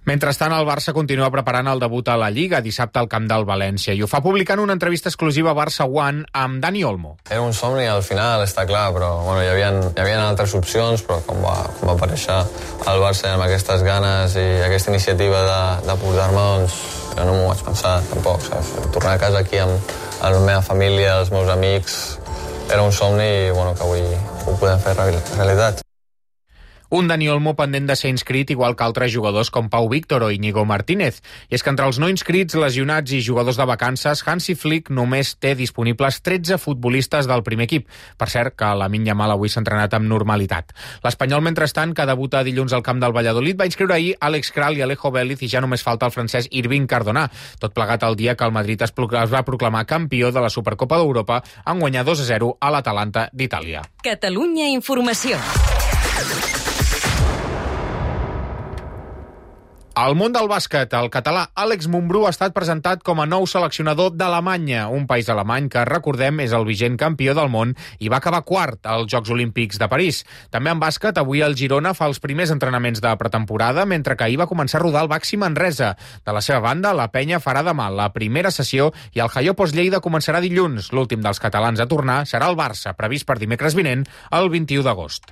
Mentrestant, el Barça continua preparant el debut a la Lliga dissabte al camp del València i ho fa publicant una entrevista exclusiva a Barça One amb Dani Olmo. Era un somni al final, està clar, però hi havia altres opcions, però quan va aparèixer el Barça amb aquestes ganes i aquesta iniciativa de portar-me, jo no m'ho vaig pensar tampoc, saps? Tornar a casa aquí amb la meva família, els meus amics, era un somni i que avui ho podem fer realitat. Un Dani Olmo pendent de ser inscrit, igual que altres jugadors com Pau Víctor o Íñigo Martínez. I és que entre els no inscrits, lesionats i jugadors de vacances, Hansi Flick només té disponibles 13 futbolistes del primer equip. Per cert, que Lamine Yamal avui s'ha entrenat amb normalitat. L'Espanyol, mentrestant, que debuta dilluns al camp del Valladolid, va inscriure ahir Àlex Kral i Alejo Vélez i ja només falta el francès Irving Cardona. Tot plegat el dia que el Madrid es va proclamar campió de la Supercopa d'Europa en guanyar 2-0 a l'Atalanta d'Itàlia. Catalunya Informació. Al món del bàsquet, el català Àlex Mumbrú ha estat presentat com a nou seleccionador d'Alemanya, un país alemany que, recordem, és el vigent campió del món i va acabar quart als Jocs Olímpics de París. També en bàsquet, avui el Girona fa els primers entrenaments de pretemporada, mentre que ahir va començar a rodar el Baxi Manresa. De la seva banda, la Penya farà demà la primera sessió i el Jaiopos Lleida començarà dilluns. L'últim dels catalans a tornar serà el Barça, previst per dimecres vinent, el 21 d'agost.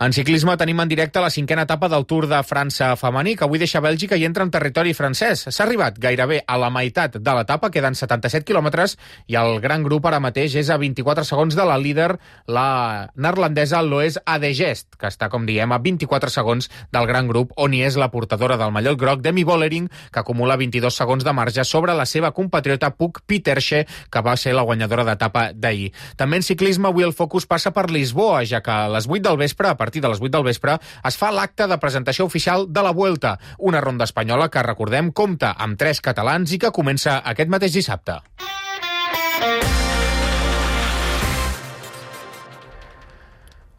En ciclisme tenim en directe la 5a etapa del Tour de França femení, que avui deixa Bèlgica i entra en territori francès. S'ha arribat gairebé a la meitat de l'etapa, queden 77 quilòmetres, i el gran grup ara mateix és a 24 segons de la líder, la neerlandesa Loes Adegest, que està, com diem, a 24 segons del gran grup, on hi és la portadora del mallot groc, Demi Vollering, que acumula 22 segons de marge sobre la seva compatriota Puk Pieterse, que va ser la guanyadora d'etapa d'ahir. També en ciclisme, avui el focus passa per Lisboa, ja que a les 8 del vespre, a partir de les 8 del vespre, es fa l'acte de presentació oficial de la Vuelta, una ronda espanyola que, recordem, compta amb 3 catalans i que comença aquest mateix dissabte.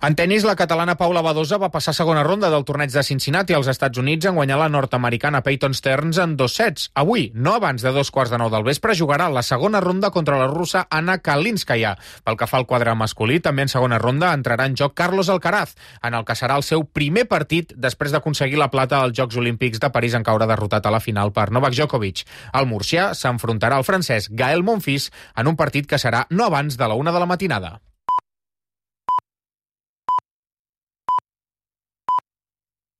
En tenis, la catalana Paula Badosa va passar a segona ronda del torneig de Cincinnati als Estats Units en guanyar la nord-americana Peyton Stearns en 2 sets. Avui, no abans de 2:15 del vespre, jugarà la segona ronda contra la russa Anna Kalinskaya. Pel que fa al quadre masculí, també en segona ronda entrarà en joc Carlos Alcaraz, en el que serà el seu primer partit després d'aconseguir la plata als Jocs Olímpics de París en caure derrotat a la final per Novak Djokovic. El murcià s'enfrontarà al francès Gael Monfils en un partit que serà no abans de la 1 de la matinada.